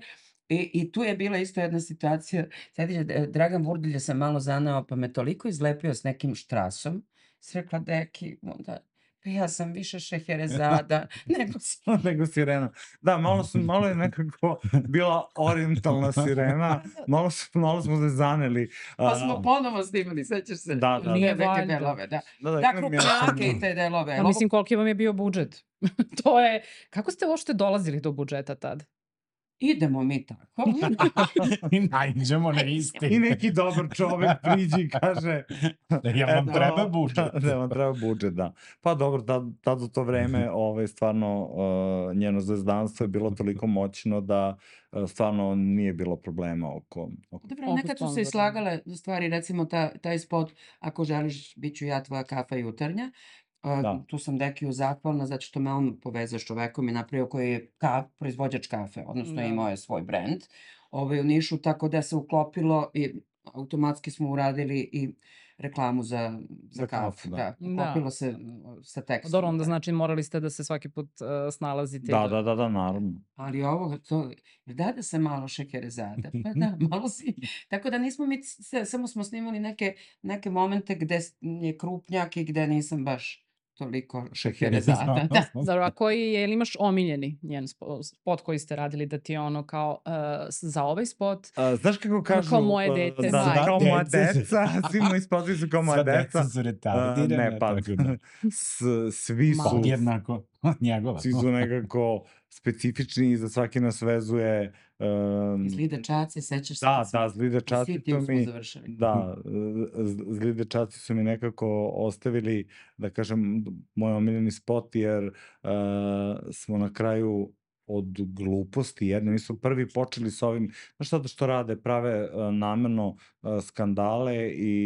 I, I tu je bila isto jedna situacija, sjetiš, Dragan Vurdilja sam malo zanao, pa me toliko izlepio s nekim štrasom, si rekla, deki, onda, pa ja sam više šeherezada, nego si... Nego sirena. Da, malo, su, malo je nekako bila orientalna sirena, malo, su, malo smo se zaneli. Pa smo ponovo snimali, sećaš se? Da, da. Nije Neke valjda. delove, da. Da, da, Da, imam ja sam- krupnjake i te delove. A mislim, koliki vam je bio budžet? To je... Kako ste uopšte dolazili do budžeta tad? Idemo mi tako. I najđemo na isti. I neki dobar čovek priđi i kaže... Jel vam eto, treba budžet? Da, vam treba budžet, da. Pa dobro, tad, tad u to vreme ovaj, stvarno uh, njeno zvezdanstvo je bilo toliko moćno da uh, stvarno nije bilo problema oko... oko... Dobro, Oko nekad su se sponzora. i slagale stvari, recimo ta, taj spot, ako želiš, bit ću ja tvoja kafa jutarnja. A, Da. Tu sam Dekiju zahvalna zato što me on povezao s čovekom i napravio koji je ka, proizvođač kafe, odnosno Da. imao je svoj brend ovaj, u Nišu, tako da se uklopilo i automatski smo uradili i reklamu za, za, Za kafu. kafu, da. Da. Da. Uklopilo se uh, sa tekstom. Dobro, onda da. znači morali ste da se svaki put uh, snalazite. Da, da, da, da, naravno. Ali ovo, to, da da se malo šekerezada, pa da, malo si. Tako da nismo mi, se, samo smo snimali neke, neke momente gde s- je krupnjak i gde nisam baš toliko šekerezada. Da. Dobro, a koji je, ili imaš omiljeni njen spo- spot koji ste radili da ti je ono kao uh, s- za ovaj spot? A, znaš kako kažu... kao moje uh, dete, Da, da, majke. kao moja Deca. deca, svi moji spotovi su kao moja Sva deca. deca su A, retardirana. ne, pa, tako da. s, svi su... Podjednako od njegova. Svi su nekako specifični i za svaki nas vezuje... Um, Zli dečaci, sećaš se? da, kad smo da, zli u dečaci Sitiju su smo mi... završili. Da, z- zli dečaci su mi nekako ostavili, da kažem, moj omiljeni spot, jer uh, smo na kraju od gluposti jedne, mi smo prvi počeli s ovim, znaš sada što rade, prave uh, namerno uh, skandale i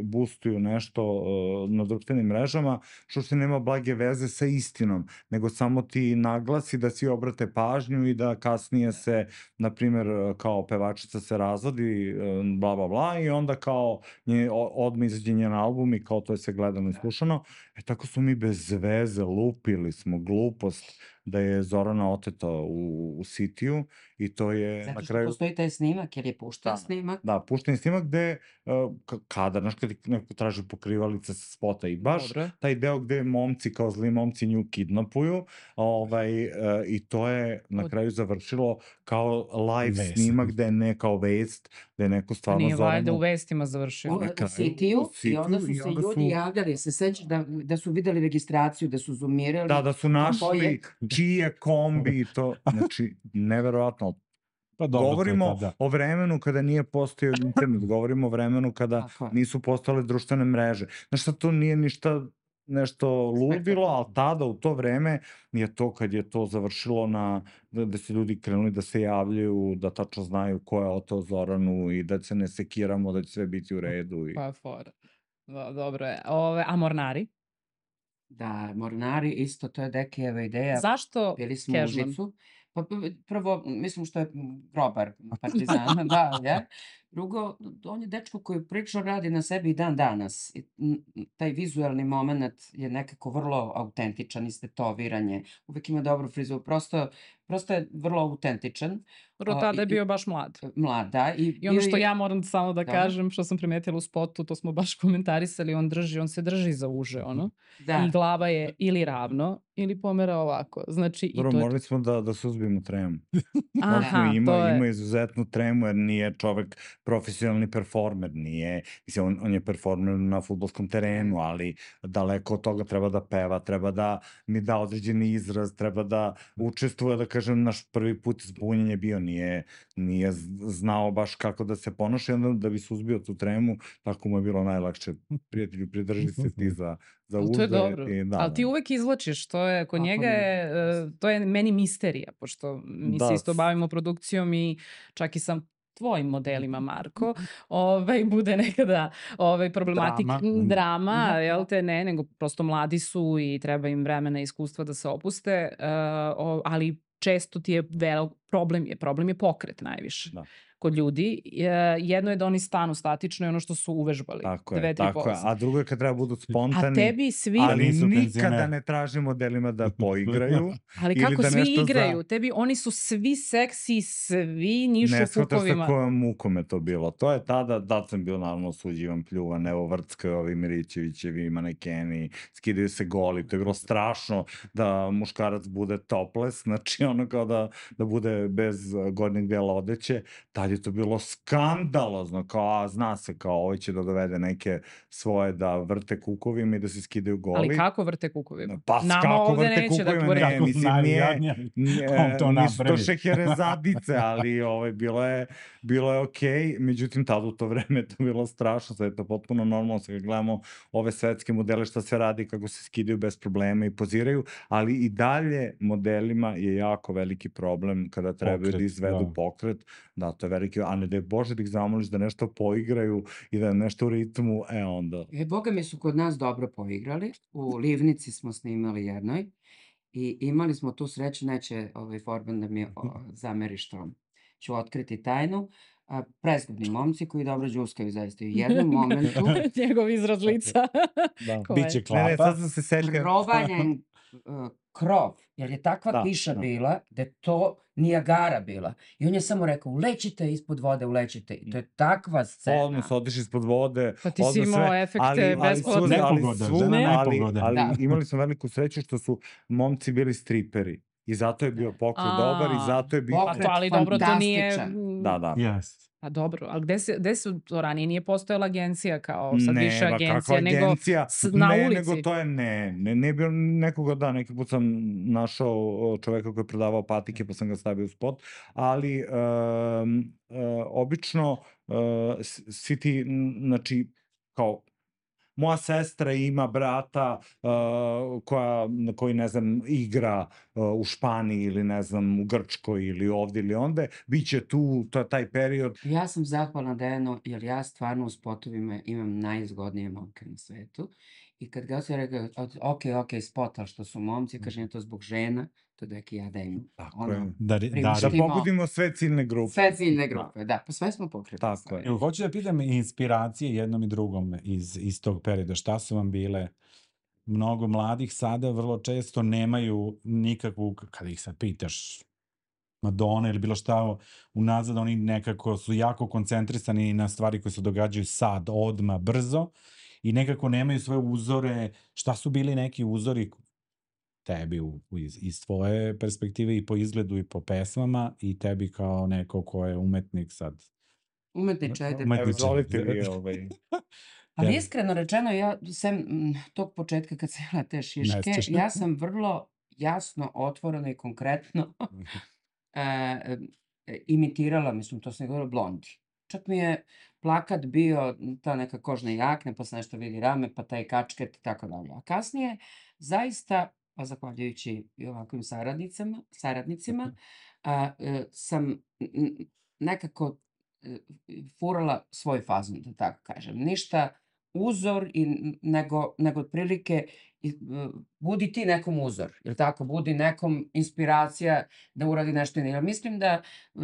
boostuju nešto uh, na društvenim mrežama, što se nema blage veze sa istinom, nego samo ti naglasi da svi obrate pažnju i da kasnije se, na primjer, kao pevačica se razvodi, uh, bla, bla, bla, i onda kao nje, o- odmah izađe njen album i kao to je sve gledano i slušano. E tako smo mi bez veze lupili smo glupost da je Zorana oteta u, u Sitiju i to je Zato na što kraju... postoji taj snimak, jer je pušten Da. snimak. Da, pušten snimak gde uh, ka- kadar, znaš kad ti neko traži pokrivalice sa spota i baš Dobro. taj deo gde momci kao zli momci nju kidnapuju, ovaj, uh, i to je na Od- kraju završilo kao live Vest. snimak gde je ne kao vest, gde je neko Pa stvarno nije valjda Zoranu... u vestima završio. U, na u kraju, Sitiju, u Sitiju i onda su i se onda ljudi su- javljali, se sećaš da, da su videli registraciju, da su zoomirali. Da, da su ko našli je. čiji je kombi i to, znači, neverovatno. Pa dobro, to je Govorimo tada. o vremenu kada nije postojao internet, govorimo o vremenu kada Tako je. nisu postojale društvene mreže. Znaš šta, to nije ništa nešto ludilo, ali tada u to vreme je to kad je to završilo na, da, da se ljudi krenuli da se javljaju, da tačno znaju ko je oteo Zoranu i da se ne sekiramo, da će sve biti u redu. I... Pa fora. Do, dobro je. Ove, a Mornari? Da, Mornari, isto, to je Dekijeva ideja. Zašto Bili smo u Kežman? Užicu. Pa p- prvo, mislim što je grobar partizana, da, je. Drugo, on je dečko koji prilično radi na sebi i dan danas. I, m, m, taj vizuelni moment je nekako vrlo autentičan, istetoviranje, uvek ima dobru frizuru, prosto, prosto je vrlo autentičan. Dobro, A, tada i, je i, bio baš mlad. mlad, da. I, I ono bio što je, ja moram samo da dobro, kažem, što sam primetila u spotu, to smo baš komentarisali, on drži, on se drži za uže, ono. I da. glava je ili ravno, ili pomera ovako. Znači, i Dobro, to je to. morali smo da, da suzbijemo tremu. Morali smo, Aha, ima, to ima je. izuzetnu tremu jer nije čovek profesionalni performer, nije, mislim, on, on je performer na fudbalskom terenu, ali daleko od toga treba da peva, treba da mi da određeni izraz, treba da učestvuje, da kažem, naš prvi put zbunjenje bio, nije, nije z- znao baš kako da se ponaša i onda da bi suzbio tu tremu, tako mu je bilo najlakše. Prijatelju, pridrži se ti za, za Ali to je uže dobro. i da, Ali ti da. uvek izvlačiš, to je, kod Kako njega ne? je, e, to je meni misterija, pošto mi se Da, isto s- bavimo produkcijom i čak i sa tvojim modelima, Marko, ovaj, bude nekada ovaj, problematik, Drama. m, drama, Aha, jel da. te, ne, nego prosto mladi su i treba im vremena i iskustva da se opuste, e, o, ali često ti je vel, problem je, problem je pokret najviše da. kod ljudi. E, jedno je da oni stanu statično i ono što su uvežbali, Tako je, dve, tri tako je. poze. A drugo je kad treba budu A spontani, tebi svi, Da ali nisu nikada penzioneri. ne traži modelima da poigraju ali ili kako da svi nešto igraju, za... tebi oni su svi seksi, svi nišu Ne shvataš sa fukovima. kojom mukom je to bilo. To je tada, da sam bio naravno osuđivan, pljuvan, evo Vrcka, ovi Mirićevićevi, manekeni, skidaju se goli, to je bilo strašno da muškarac bude topless, znači ono kao da, da bude bez uh, gornjeg dela odeće, tad je to bilo skandalozno, kao a, zna se kao ovo će da dovede neke svoje da vrte kukovima i da se skidaju Ali goli. kako vrte kukovima? Pa s- Nama kako ovde vrte neće da kukovima, vrte. ne, Kako mislim, nije, najjadnije, nije, kom to nisu to napravi. šeherezadice, ali ovaj, bilo je, bilo je okej, međutim tada u to vreme je to bilo strašno, sad je to potpuno normalno, sad kad gledamo ove svetske modele šta se radi, kako se skidaju bez problema i poziraju, ali i dalje modelima je jako veliki problem kada trebaju Pokret, da izvedu da. pokret, da, to je veliki, a ne da je Bože da ih zamoliš da nešto poigraju i da nešto u ritmu, e onda, E, boga mi su kod nas dobro poigrali. U Livnici smo snimali jednoj i imali smo tu sreću, neće ovaj Forban da mi o, zameri što ću otkriti tajnu. A, prezgodni momci koji dobro đuskaju zaista. I u jednom momentu Njegov izraz lica. da. Ko je? Biće Ne, ne, klapa. sad sam se setio. provaljen uh, krov, jer je takva Da, kiša da. bila da je to Nijagara bila. I on je samo rekao, ulećite ispod vode, ulećite. I to je takva scena. Odmah se odiš ispod vode, Pa ti si odmah imao sve, efekte ali, ali, besplatne. svu, ali, Nepogoda, svu, žena ali, nepogoda. ali Da. imali smo veliku sreću što su momci bili striperi. I zato je bio pokret dobar i A, zato je bio... pa Pokret to, ali dobro, to nije... fantastičan. Da, da. Yes. Pa dobro, ali gde, se, gde su to ranije? Nije postojala agencija kao sad Ne, više ba, agencija, kakva nego agencija? s, na ne, ulici. nego to je ne, ne, ne bio nekoga, da, neki put sam našao o, čoveka koji je prodavao patike pa sam ga stavio u spot, ali um, uh, obično uh, s- svi ti, n- znači, kao, moja sestra ima brata uh, koja, koji, ne znam, igra uh, u Španiji ili, ne znam, u Grčkoj ili ovde ili onde, bit će tu, to je taj period. Ja sam zahvalna Dejanu, jer ja stvarno u spotovima imam najzgodnije momke na svetu. I kad ga se rekao, od- ok, ok, spot, ali što su momci, kaže, je to zbog žena, to da ja da im Tako ono, je. Da, ri- Da priuštimo pogodimo sve ciljne grupe. sve ciljne Da. grupe. Da, pa sve smo pokretili. Tako stvari. je. Evo, hoću da pitam inspiracije jednom i drugom iz, iz tog perioda. Šta su vam bile? Mnogo mladih sada vrlo često nemaju nikakvu, kada ih sad pitaš, Madonna ili bilo šta unazad, oni nekako su jako koncentrisani na stvari koje se događaju sad, odma, brzo i nekako nemaju svoje uzore. Šta su bili neki uzori tebi u, u- iz, iz tvoje perspektive i po izgledu i po pesmama i tebi kao neko ko je umetnik sad? Umetniče, ajde. Evo, Umetniče. izvolite vi, ovaj... Ali Tebi. iskreno rečeno, ja sem mm, tog početka kad sam imala te šiške, Nestiš. ja sam vrlo jasno, otvoreno i konkretno e, e, imitirala, mislim, to sam govorila, Blondi. Čak mi je plakat bio ta neka kožna jakna, pa se nešto vidi rame, pa taj kačket i tako dalje. A kasnije, zaista, pa zahvaljujući i ovakvim saradnicama, saradnicima, a, e, sam n- n- nekako e, furala svoj fazon, da tako kažem. Ništa uzor i n- nego, nego otprilike i, e, budi ti nekom uzor, ili tako, budi nekom inspiracija da uradi nešto. Jer mislim da e,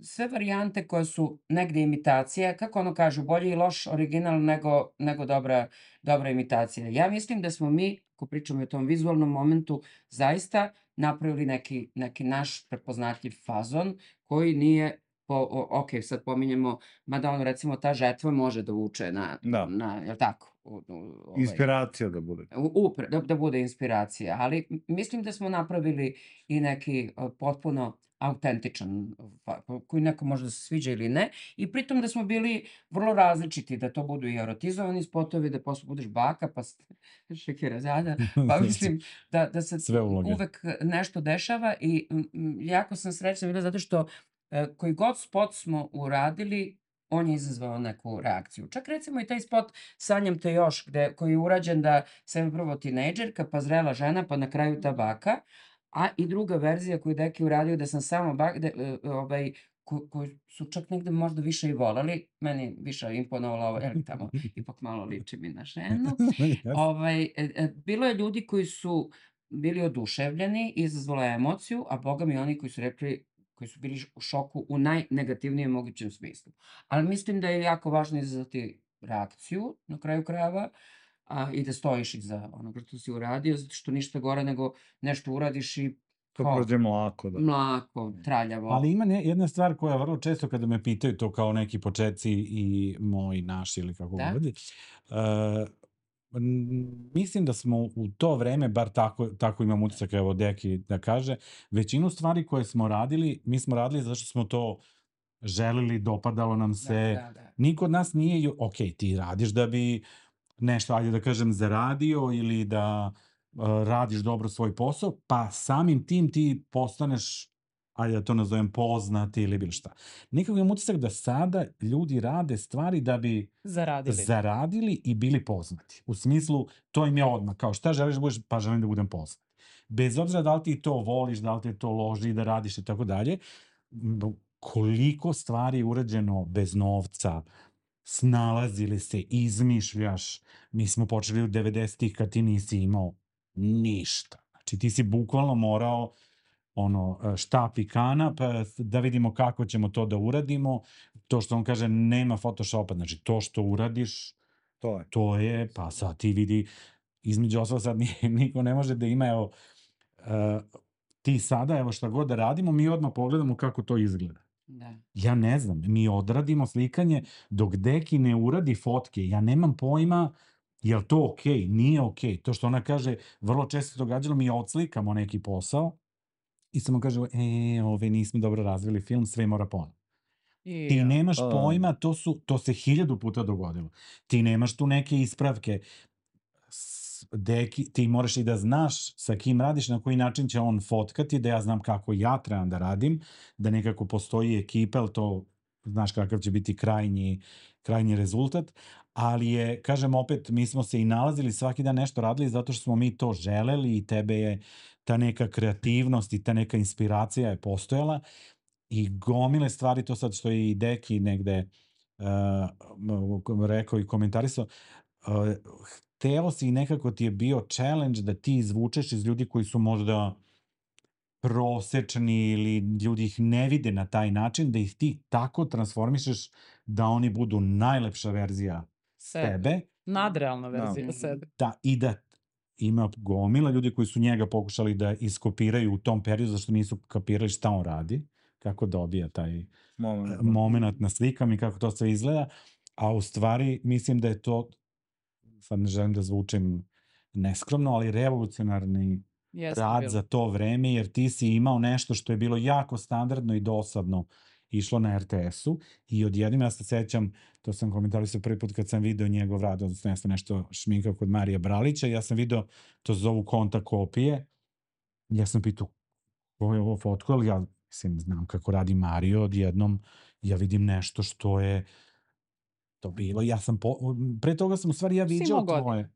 sve varijante koje su negde imitacija, kako ono kažu, bolji i loš original nego, nego dobra, dobra imitacija. Ja mislim da smo mi, ako pričamo o tom vizualnom momentu, zaista napravili neki, neki naš prepoznatljiv fazon koji nije, po, o, ok, sad pominjemo, mada ono, recimo, ta žetva može da vuče na, Da. na jel tako, u, u, ovaj, Inspiracija da bude. u- upre, da, da bude inspiracija, ali m- mislim da smo napravili i neki uh, potpuno autentičan, fa- koji neko može da se sviđa ili ne, i pritom da smo bili vrlo različiti, da to budu i erotizovani spotovi, da posle budeš baka, pa s- šekirazada, pa mislim da, da se Sve uloge. uvek nešto dešava i m, m, jako sam srećna bila zato što e, koji god spot smo uradili, on je izazvao neku reakciju. Čak recimo i taj spot Sanjam te još, gde, koji je urađen da sam prvo tinejdžerka, pa zrela žena, pa na kraju ta baka, a i druga verzija koju je Deki uradio da sam samo baka, gde, e, e, ovaj, ko, koju su čak negde možda više i volali, meni više imponovalo ovo, jer tamo ipak malo liči mi na ženu. Jeste. Ovaj, e, e, bilo je ljudi koji su bili oduševljeni, izazvalo je emociju, a boga mi oni koji su rekli, koji su bili u šoku u najnegativnijem mogućem smislu. Ali mislim da je jako važno izazvati reakciju na kraju krajeva, a, i da stojiš iza onoga što si uradio, zato što ništa gore nego nešto uradiš i To kao prođe mlako, da. mlako, traljavo. Ali ima ne, jedna stvar koja vrlo često kada me pitaju to kao neki početci i moji, naši ili kako Da. god, uh, m, mislim da smo u to vreme, bar tako, tako imam utisak, evo Deki da kaže, većinu stvari koje smo radili, mi smo radili zato što smo to želeli, dopadalo nam se. Da, da, da. Niko od nas nije, ju- ok, ti radiš da bi nešto, ajde da kažem, zaradio ili da uh, radiš dobro svoj posao, pa samim tim ti postaneš, ajde da to nazovem, poznati ili bilo šta. Nekako imam utisak da sada ljudi rade stvari da bi Zaradili. zaradili i bili poznati. U smislu, to im je odmah, kao šta želiš da budeš, pa želim da budem poznat. Bez obzira da li ti to voliš, da li te to loži da radiš i tako dalje, m, koliko stvari je urađeno bez novca, snalazili se, izmišljaš. Mi smo počeli u devedesetih kad ti nisi imao ništa. Znači ti si bukvalno morao ono, štap i kanap, da vidimo kako ćemo to da uradimo. To što on kaže, nema Photoshopa, znači to što uradiš, To je. to je, pa sad ti vidi, između ostalog sad ni- niko ne može da ima, evo, uh, ti sada, evo šta god da radimo, mi odmah pogledamo kako to izgleda. Da. Ja ne znam, mi odradimo slikanje, dok Deki ne uradi fotke, ja nemam pojma je li to okej, nije okej. To što ona kaže, vrlo često se događalo, mi odslikamo neki posao i samo kaže, e, ove nismo dobro razvili film, sve mora ponovno. I, Ti nemaš A. pojma, to, su, to se hiljadu puta dogodilo. Ti nemaš tu neke ispravke. S- Deki, ti moraš i da znaš sa kim radiš, na koji način će on fotkati, da ja znam kako ja trebam da radim, da nekako postoji ekipa, ali to znaš kakav će biti krajnji, krajnji rezultat, ali je, kažem opet, mi smo se i nalazili svaki dan nešto radili zato što smo mi to želeli i tebe je ta neka kreativnost i ta neka inspiracija je postojala i gomile stvari, to sad što je i Deki negde uh, rekao i komentarisao, uh, hteo si i nekako ti je bio challenge da ti izvučeš iz ljudi koji su možda prosečni ili ljudi ih ne vide na taj način, da ih ti tako transformišeš da oni budu najlepša verzija Sebe. sebe, nadrealna Da. verzija Mhm. sebe. da, i da ima gomila ljudi koji su njega pokušali da iskopiraju u tom periodu zašto nisu kapirali šta on radi, kako dobija taj Moment. moment na slikama i kako to sve izgleda, a u stvari mislim da je to, sad ne želim da zvučim neskromno, ali revolucionarni Jeste rad bilo. za to vreme, jer ti si imao nešto što je bilo jako standardno i dosadno išlo na er te esu i odjednom ja se sećam, to sam komentarisao prvi put kad sam video njegov rad, odnosno ja sam nešto šminkao kod Marija Bralića, ja sam video, to se zovu konta kopije, ja sam pitao ko je ovo fotko, ali ja mislim, znam kako radi Mario, odjednom ja vidim nešto što je to bilo, ja sam, po, pre toga sam u stvari ja Si viđao imao godina? tvoje,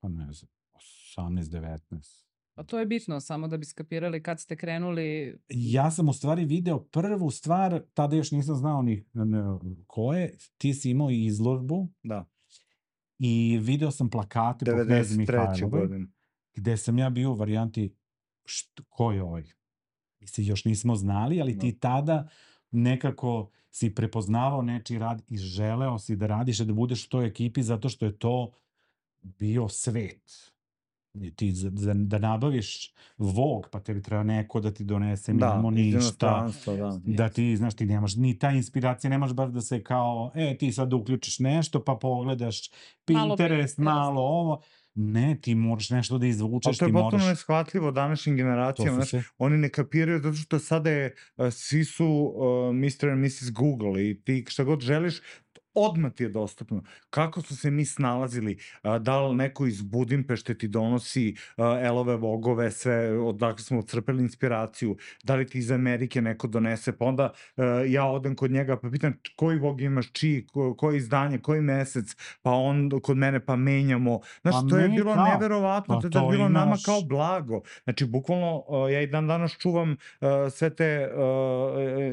pa ne znam, osamnaest devetnaest. A to je bitno, samo da bi skapirali kad ste krenuli. Ja sam u stvari video prvu stvar, tada još nisam znao ni ne, ko je, ti si imao i izložbu Da. i video sam plakate po Knezi devedeset treće Mihajlovoj, godine. gde sam ja bio u varijanti št, ko je ovaj? Mi se još nismo znali, ali Da. ti tada nekako si prepoznavao nečiji rad i želeo si da radiš i da budeš u toj ekipi zato što je to bio svet. I ti za, za, da nabaviš Vogue, pa tebi treba neko da ti donese, mi Da, nemamo iz ništa, inostranstva, da. da ti, znaš, ti nemaš ni ta inspiracija, nemaš baš da se kao, e, ti sad uključiš nešto, pa pogledaš Malo Pinterest, Pinterest. malo ovo. Ne, ti moraš nešto da Ali izvučeš, to je ti potpuno moraš... neshvatljivo današnjim To generacijama, su znaš, se... oni ne kapiraju zato što sada je, uh, svi su uh, mister and missus Google i ti šta god želiš, odmah ti je dostupno. Kako su se mi snalazili, uh, da li neko iz Budimpešte ti donosi uh, elove vogove, sve, odakle smo crpeli inspiraciju, da li ti iz Amerike neko donese, pa onda uh, ja odem kod njega pa pitam koji vog imaš, čiji, ko, koje izdanje, koji mesec, pa on kod mene pa menjamo. Znaš, Pa to je me, bilo da. neverovatno, Pa to je tad to bilo nama imaš... kao blago. Znači, bukvalno, uh, ja i dan danas čuvam uh, sve te uh,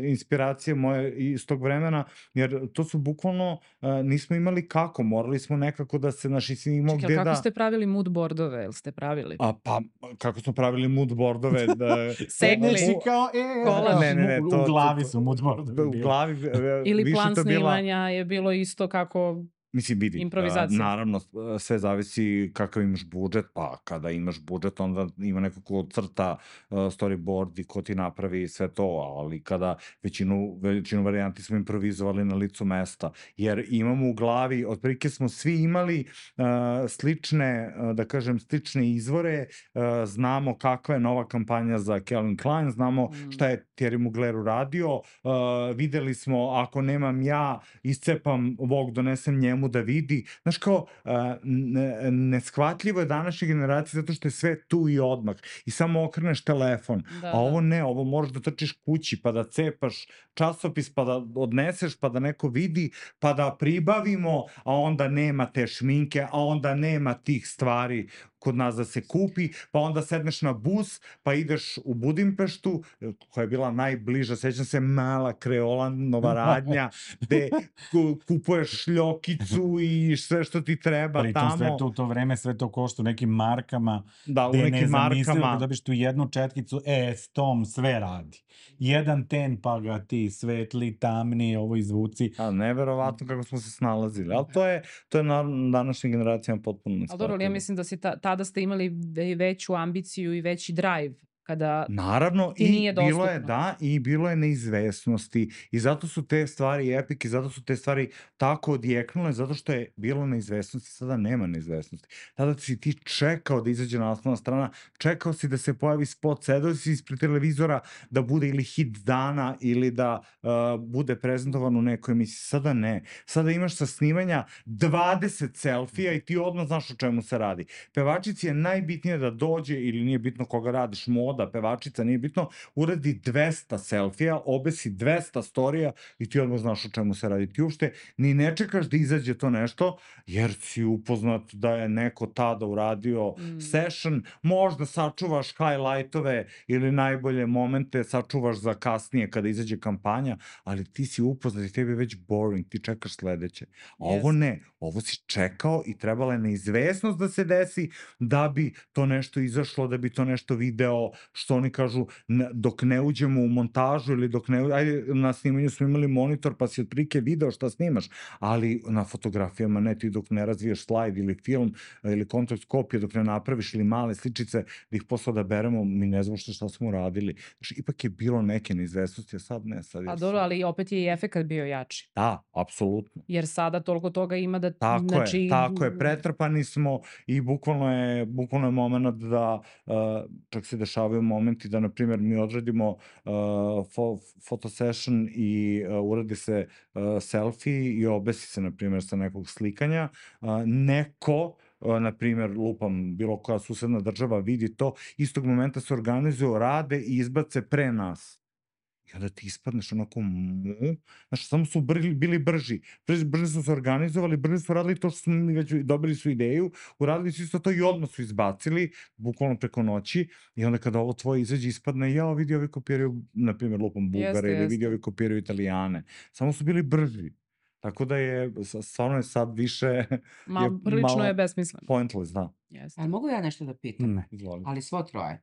inspiracije moje iz tog vremena, jer to su bukvalno, uh, nismo imali kako, morali smo nekako da se, naši si imao Čekaj, gde ali kako da... ste pravili mood boardove? Jel ste pravili? A pa, kako smo pravili mood boardove, da... Segli. Si kao, e, Kolaž. Ne, ne, ne, u, to- u glavi to- su moodboardovi U bili. glavi e, Ili više plan to bila... snimanja je bilo isto kako... Mislim, vidi, Improvizacija. a, naravno, a, sve zavisi kakav imaš budžet, pa kada imaš budžet, onda ima neko ko crta a, storyboard i ko ti napravi sve to, ali kada većinu, većinu varijanti smo improvizovali na licu mesta, jer imamo u glavi, otprilike smo svi imali a, slične, a, da kažem, slične izvore, a, znamo kakva je nova kampanja za Calvin Klein, znamo Mm. šta je Thierry Mugler uradio, a, videli smo, ako nemam ja, iscepam Vogue, donesem njemu da vidi. Znaš kao, a, ne- neshvatljivo je današnje generacije zato što je sve tu i odmah. I samo okreneš telefon. Da, A ovo da. ne, ovo moraš da trčiš kući, pa da cepaš časopis, pa da odneseš, pa da neko vidi, pa da pribavimo, a onda nema te šminke, a onda nema tih stvari kod nas da se kupi, pa onda sedneš na bus, pa ideš u Budimpeštu, koja je bila najbliža, sećam se, mala kreola, nova radnja, gde ku- kupuješ šljokicu i sve što ti treba Pritom sve tamo. to u to vreme, sve to košta u nekim markama, Da, u gde je nekim nezamislivo markama. kad dobiš tu jednu četkicu, e, s tom sve radi. Jedan ten pa ga ti svetli, tamni, ovo izvuci. A, neverovatno kako smo se snalazili, ali to je, to je na današnjim generacijama potpuno Ali dobro, ali ja neshvatljivo. mislim da si ta, tada ste imali ve- veću ambiciju i veći drive kada Naravno, ti i nije bilo je, dostupno. da, i bilo je neizvesnosti i zato su te stvari epic i zato su te stvari tako odjeknule, zato što je bilo neizvesnosti, sada nema neizvesnosti. Tada si ti čekao da izađe naslovna strana, čekao si da se pojavi spot, sedao si ispred televizora da bude ili hit dana ili da uh, bude prezentovan u nekoj emisiji. Sada ne. Sada imaš sa snimanja dvadeset selfija i ti odmah znaš o čemu se radi. Pevačici je najbitnije da dođe, ili nije bitno koga radiš, moda, pevačica, nije bitno, uradi dvesta selfija, obesi dvesta storija i ti odmah znaš o čemu se radi. Ti uopšte ni ne čekaš da izađe to nešto, jer si upoznat da je neko tada uradio Mm. session, možda sačuvaš highlightove ili najbolje momente sačuvaš za kasnije kada izađe kampanja, ali ti si upoznat i tebi je već boring, ti čekaš sledeće. A ovo Jeste. ne, ovo si čekao i trebala je neizvesnost da se desi da bi to nešto izašlo, da bi to nešto video, što oni kažu, n- dok ne uđemo u montažu ili dok ne, u- ajde, na snimanju smo imali monitor pa si otprilike video šta snimaš, ali na fotografijama ne, ti dok ne razviješ slajd ili film ili kontakt kopije, dok ne napraviš ili male sličice da ih posle da beremo, mi ne znamo šta, šta smo radili. Znači, ipak je bilo neke neizvesnosti, a sad ne, sad je A dobro, sve- ali opet je i efekat bio jači. Da, apsolutno. Jer sada toliko toga ima da... Tako znači, je, tako je, pretrpani smo i bukvalno je, bukvalno je moment da uh, čak se dešavaju momenti da, na primjer, mi odradimo uh, fo, photo session i uh, uradi se uh, selfie i obesi se, na primjer, sa nekog slikanja. Uh, neko, uh, na primjer, lupam, bilo koja susedna država vidi to, istog momenta se organizuju, rade i izbace pre nas. I onda ti ispadneš onako mu, znaš, samo su brli, bili brži. Brži, brže su se organizovali, brže su radili to što su mi već dobili su ideju, uradili su isto to i odmah su izbacili, bukvalno preko noći, i onda kada ovo tvoje izađe ispadne, ja vidi ovi kopiraju, na primjer, lupom Bugare, Jeste, ili vidi jeste. ovi kopiraju Italijane. Samo su bili brži. Tako da je, s- stvarno je sad više, Ma, je prilično malo je besmisleno. pointless, da. Jeste. Ali mogu ja nešto da pitam? Ne. Izvoli. Ali svo troje.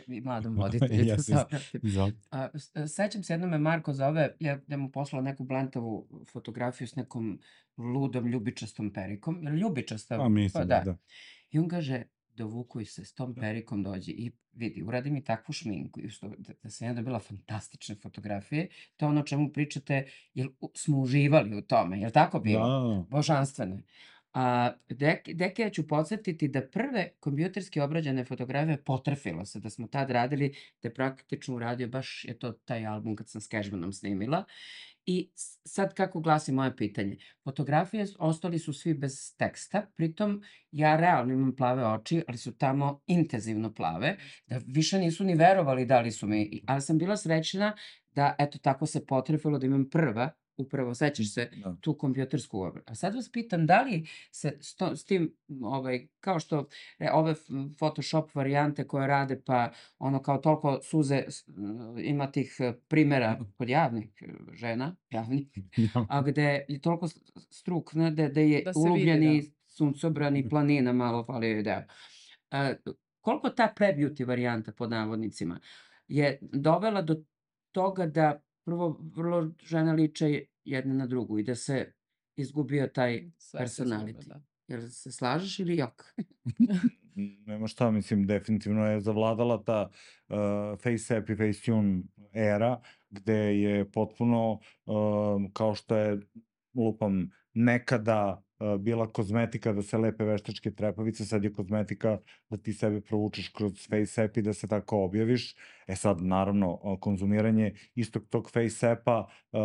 I mladom voditelju da Jes, se jes. obratim. Izvoli. A, s- sećam se jednom me Marko zove, ja, ja mu poslala neku blantavu fotografiju s nekom ludom ljubičastom perikom. Jel ljubičasta? Pa mislim da, da. I on kaže, dovukuj se, s tom perikom dođi i vidi, uradi mi takvu šminku. I što, da, da sam ja dobila fantastične fotografije. To je ono o čemu pričate, jer u- smo uživali u tome. Jel tako bilo? Da. Božanstveno je. A, dek, deke, ja ću podsjetiti da prve kompjuterski obrađene fotografije potrefilo se, da smo tad radili, da je praktično uradio baš je to taj album kad sam s Cashmanom snimila. I s- sad kako glasi moje pitanje? Fotografije s- ostali su svi bez teksta, pritom ja realno imam plave oči, ali su tamo intenzivno plave, da više nisu ni verovali da li su mi, i- ali sam bila srećna da eto tako se potrefilo da imam prva, upravo sećaš se, Da. tu kompjutersku obradu. A sad vas pitam, da li se s, to, s tim, m, ovaj, kao što e, ove f- Photoshop varijante koje rade, pa ono kao toliko suze, s- m, ima tih e, primera kod javnih e, žena, javnih, a gde je toliko s- struk, ne, da, da je Da se vidi, ulubljeni da. suncobran i planina malo fali joj deo. E, koliko ta pre-beauty varijanta, pod navodnicima, je dovela do toga da prvo vrlo žene liče jedna na drugu i da se izgubio taj Sve se izgube, personality. da. Jel se slažeš ili jok? Nema šta, mislim, definitivno je zavladala ta uh, face app i Facetune era, gde je potpuno, uh, kao što je, lupam, nekada uh, bila kozmetika da se lepe veštačke trepavice, sad je kozmetika da ti sebe provučeš kroz face app i da se tako objaviš. E sad, naravno, uh, konzumiranje istog tog face appa uh,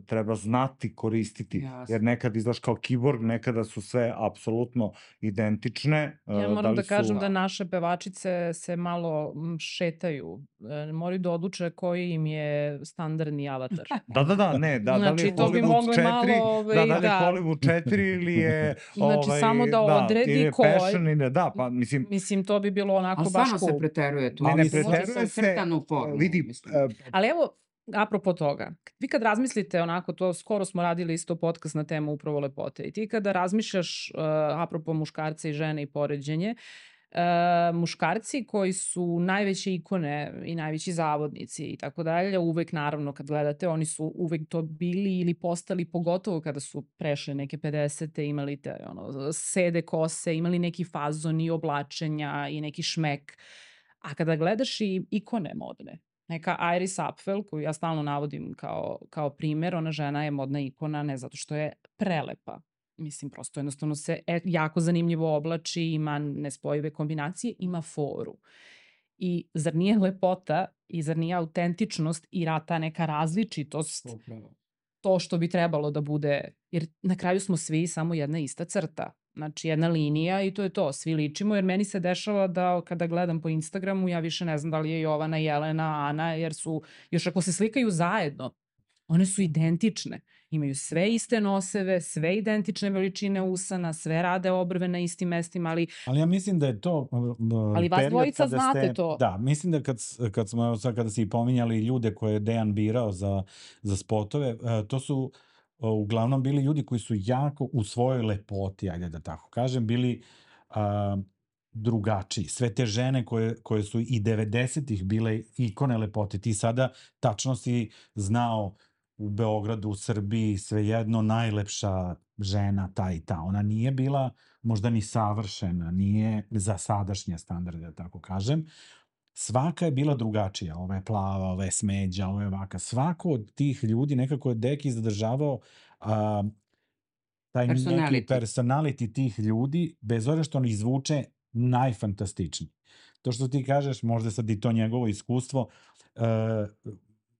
treba znati koristiti, Jasno. jer nekad izgledaš kao kiborg, nekada su sve apsolutno identične. uh, Ja da moram li da kažem su... da naše pevačice se malo m, šetaju. E, moraju da odluče koji im je standardni avatar. Da, da, da, ne, da, da li je Znači, to bi Hollywood mogli četiri, malo, da, ovaj, da li je da. Hollywood četiri ili je, Znači, ovaj, samo da odredi ili je ko je. passion ili ne, da, pa mislim, Mislim, to bi bilo onako Ali baš stvarno se cool. preteruje tu. ne, ne Uvodi preteruje se, crtanu formulu, vidi, mislim. e, Ali evo, apropo toga, vi kad razmislite onako, to skoro smo radili isto podcast na temu upravo lepote, i ti kada razmišljaš uh, apropo muškarca i žene i poređenje, uh, muškarci koji su najveće ikone i najveći zavodnici i tako dalje, uvek naravno kad gledate, oni su uvek to bili ili postali, pogotovo kada su prešli neke pedesete, imali te ono, sede kose, imali neki fazon i oblačenja i neki šmek. A kada gledaš i ikone modne, neka Iris Apfel, koju ja stalno navodim kao, kao primer, ona žena je modna ikona ne zato što je prelepa. Mislim, prosto jednostavno se e, jako zanimljivo oblači, ima nespojive kombinacije, ima foru. I zar nije lepota i zar nije autentičnost i ra- ta neka različitost Upravo. to što bi trebalo da bude, jer na kraju smo svi samo jedna ista crta. Znači jedna linija i to je to, svi ličimo, jer meni se dešava da kada gledam po Instagramu ja više ne znam da li je Jovana, Jelena, Ana, jer su, još ako se slikaju zajedno, one su identične. Imaju sve iste noseve, sve identične veličine usana, sve rade obrve na istim mestima, ali Ali ja mislim da je to uh, Ali vas period dvojica kada znate ste, to. Da, mislim da kad, s- kad smo, evo sad kada si pominjali ljude koje je Dejan birao za, za spotove, uh, to su uh, uglavnom bili ljudi koji su jako u svojoj lepoti, ajde da tako kažem, bili uh, drugačiji. Sve te žene koje, koje su i devedesetih bile ikone lepote, ti sada tačno si znao u Beogradu, u Srbiji, svejedno najlepša žena ta i ta. Ona nije bila možda ni savršena, nije za sadašnje standarde, da tako kažem. Svaka je bila drugačija. Ova je plava, ova je smeđa, ova je ovaka. Svako od tih ljudi nekako je Deki zadržavao a, taj neki Personality. personality tih ljudi, bez obzira što on izvuče najfantastičniji. To što ti kažeš, možda sad i to njegovo iskustvo, uh,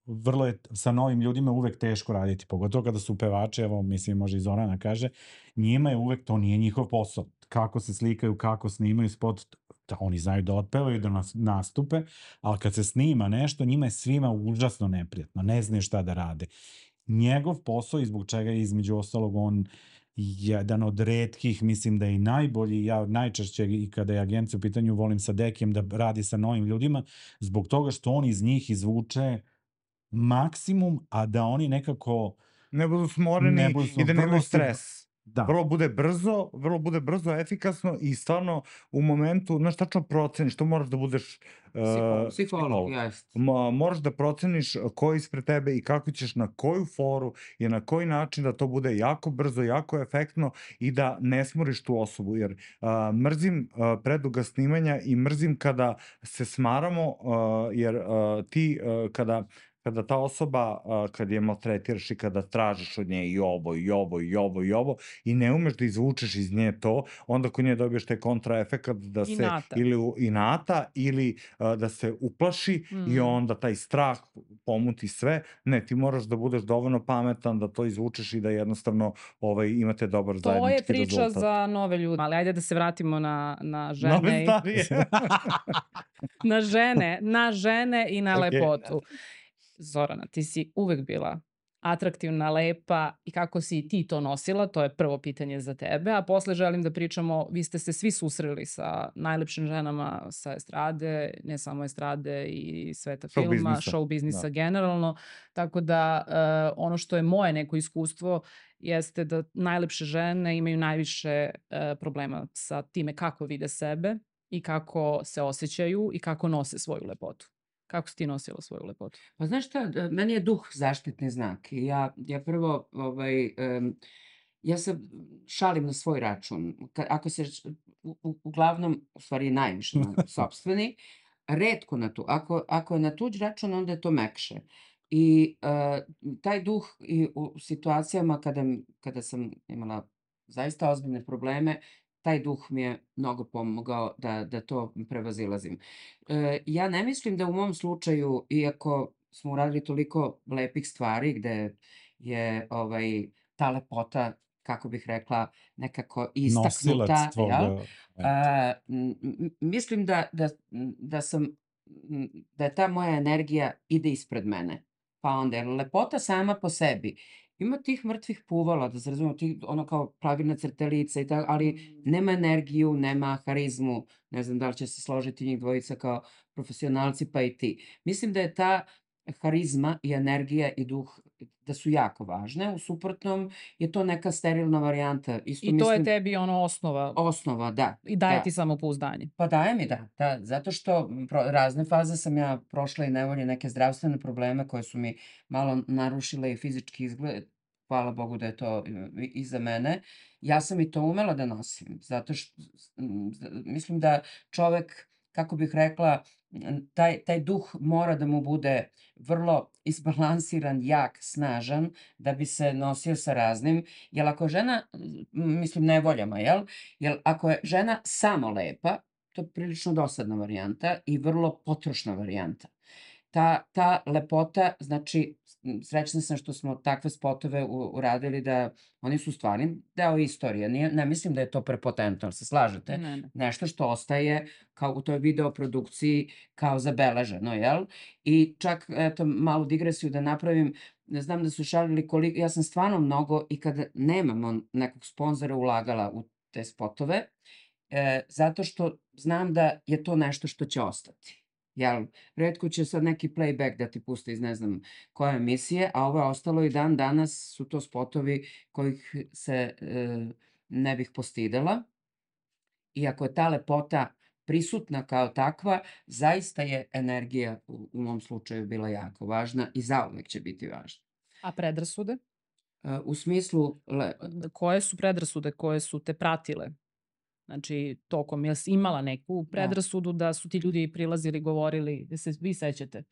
vrlo je sa novim ljudima uvek teško raditi, pogotovo kada su pevači, evo mislim može i Zorana kaže, njima je uvek, to nije njihov posao. Kako se slikaju, kako snimaju spot, da oni znaju da otpevaju, da nas, nastupe, ali kad se snima nešto, njima je svima užasno neprijatno, ne znaju šta da rade. Njegov posao i zbog čega je između ostalog on jedan od retkih, mislim da je i najbolji, ja najčešće i kada je agencija u pitanju volim sa Dekijem da radi sa novim ljudima, zbog toga što on iz njih izvuče maksimum, a da oni nekako ne budu Ne smoreni budu i smo, da vrlo nemaju su, stres. da, Vrlo bude brzo, vrlo bude brzo, efikasno i stvarno u momentu, znaš, tačno proceniš, to moraš da budeš Psiholog, uh, psiholog, psiholog. jeste. Mo, moraš da proceniš ko je ispred tebe i kako ćeš na koju foru i na koji način da to bude jako brzo, jako efektno i da ne smoriš tu osobu, jer uh, mrzim uh, preduga snimanja i mrzim kada se smaramo, uh, jer uh, ti uh, kada kada ta osoba, uh, kad je maltretiraš i kada tražiš od nje i ovo, i ovo, i ovo, i ovo, i ne umeš da izvučeš iz nje to, onda kod nje dobiješ taj kontraefekat da se Inata. ili u- inata ili uh, da se uplaši i Mm. onda taj strah pomuti sve. Ne, ti moraš da budeš dovoljno pametan da to izvučeš i da jednostavno ovaj, imate dobar To je zajednički priča rezultat. za nove ljude, ali ajde da se vratimo na, na Nove žene, i, starije. na žene, na žene i na Ok. lepotu. Zorana, ti si uvek bila atraktivna, lepa i kako si ti to nosila, to je prvo pitanje za tebe, a posle želim da pričamo, vi ste se svi susreli sa najlepšim ženama sa estrade, ne samo estrade i sveta Show filma, biznisa. show biznisa Da. generalno, tako da uh, ono što je moje neko iskustvo jeste da najlepše žene imaju najviše uh, problema sa time kako vide sebe i kako se osjećaju i kako nose svoju lepotu. Kako si ti nosila svoju lepotu? Pa znaš šta, e, meni je duh zaštitni znak i ja, ja prvo, ovaj, em, ja se šalim na svoj račun. Ka, ako se, š- u, u- uglavnom, u stvari najviše na sopstveni, retko na tu. Ako, ako je na tuđ račun, onda je to mekše. I e, taj duh i u situacijama kada, m- kada sam imala zaista ozbiljne probleme, taj duh mi je mnogo pomogao da, da to prevazilazim. E, ja ne mislim da u mom slučaju, iako smo uradili toliko lepih stvari gde je ovaj, ta lepota, kako bih rekla, nekako nosilac istaknuta, tvog, jel? uh, A, m, m, mislim da, da, da sam, m, da je ta moja energija ide ispred mene. Pa onda, jer lepota sama po sebi, ima tih mrtvih puvala, da se razumemo, tih, ono kao pravilna crtelica i tako, ali nema energiju, nema harizmu, ne znam da li će se složiti njih dvojica kao profesionalci, pa i ti. Mislim da je ta harizma i energija i duh da su jako važne, u suprotnom je to neka sterilna varijanta. Isto I to je mislim, tebi ono osnova osnova, da, i daje da. ti samopouzdanje. Pa daje mi, da, da, zato što m, pro, razne faze sam ja prošla i nevolje, neke zdravstvene probleme koje su mi malo narušile i fizički izgled. Hvala Bogu da je to e, i- iza mene. Ja sam i to umela da nosim, zato što m, z- mislim da čovek, kako bih rekla, m, taj, taj duh mora da mu bude vrlo isbalansiran, jak, snažan, da bi se nosio sa raznim. Jer ako je žena, m, mislim nevoljama, jel? Jer ako je žena samo lepa, to je prilično dosadna varijanta i vrlo potrošna varijanta. Ta, ta lepota, znači, m, srećna sam što smo takve spotove u- uradili da oni su stvarni deo istorije. Nije, ne mislim da je to prepotentno, ali se slažete? Ne, ne. Nešto što ostaje kao u toj videoprodukciji kao zabeleženo, jel? I čak, eto, malu digresiju da napravim, ne znam da su šalili koliko, ja sam stvarno mnogo i kada nemamo nekog sponzora ulagala u te spotove, e, zato što znam da je to nešto što će ostati. Jel, retko će sad neki playback da ti puste iz ne znam koje emisije, a ovo je ostalo i dan danas su to spotovi kojih se e, ne bih postidela. I ako je ta lepota prisutna kao takva, zaista je energija u, u mom slučaju bila jako važna i zauvek će biti važna. A predrasude? E, u smislu, le, Koje su predrasude koje su te pratile? Znači, tokom, jel si imala neku da, predrasudu da su ti ljudi prilazili, govorili, da se vi sećate?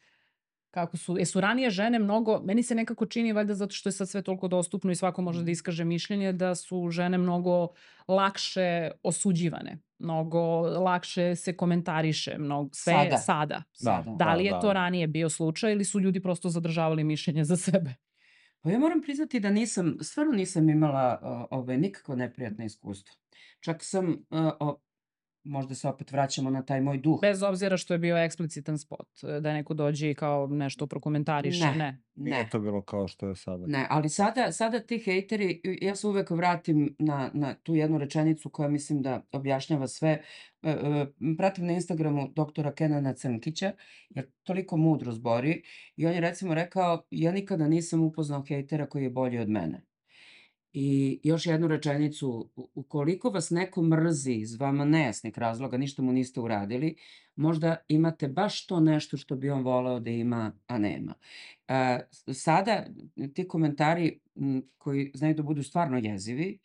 Kako su, jesu ranije žene mnogo, meni se nekako čini, valjda zato što je sad sve toliko dostupno i svako može da iskaže mišljenje, da su žene mnogo lakše osuđivane, mnogo lakše se komentariše, mnogo, sve sada, sada. Da, sada. Da da, li je da. to ranije bio slučaj ili su ljudi prosto zadržavali mišljenje za sebe? Pa ja moram priznati da nisam, stvarno nisam imala o, ove, nikakvo neprijatno iskustvo. Čak sam, e, o, možda se opet vraćamo na taj moj duh. Bez obzira što je bio eksplicitan spot, da neko dođe i kao nešto prokomentariše, Ne, ne. Nije ne. to bilo kao što je sada. Ne, ali sada, sada ti hejteri, ja se uvek vratim na, na tu jednu rečenicu koja mislim da objašnjava sve. E, e, pratim na Instagramu doktora Kenana Crnkića, jer toliko mudro zbori i on je recimo rekao, ja nikada nisam upoznao hejtera koji je bolji od mene. I još jednu rečenicu, u- ukoliko vas neko mrzi iz vama nejasnih razloga, ništa mu niste uradili, možda imate baš to nešto što bi on voleo da ima, a nema. E, s- sada ti komentari m, koji znaju da budu stvarno jezivi,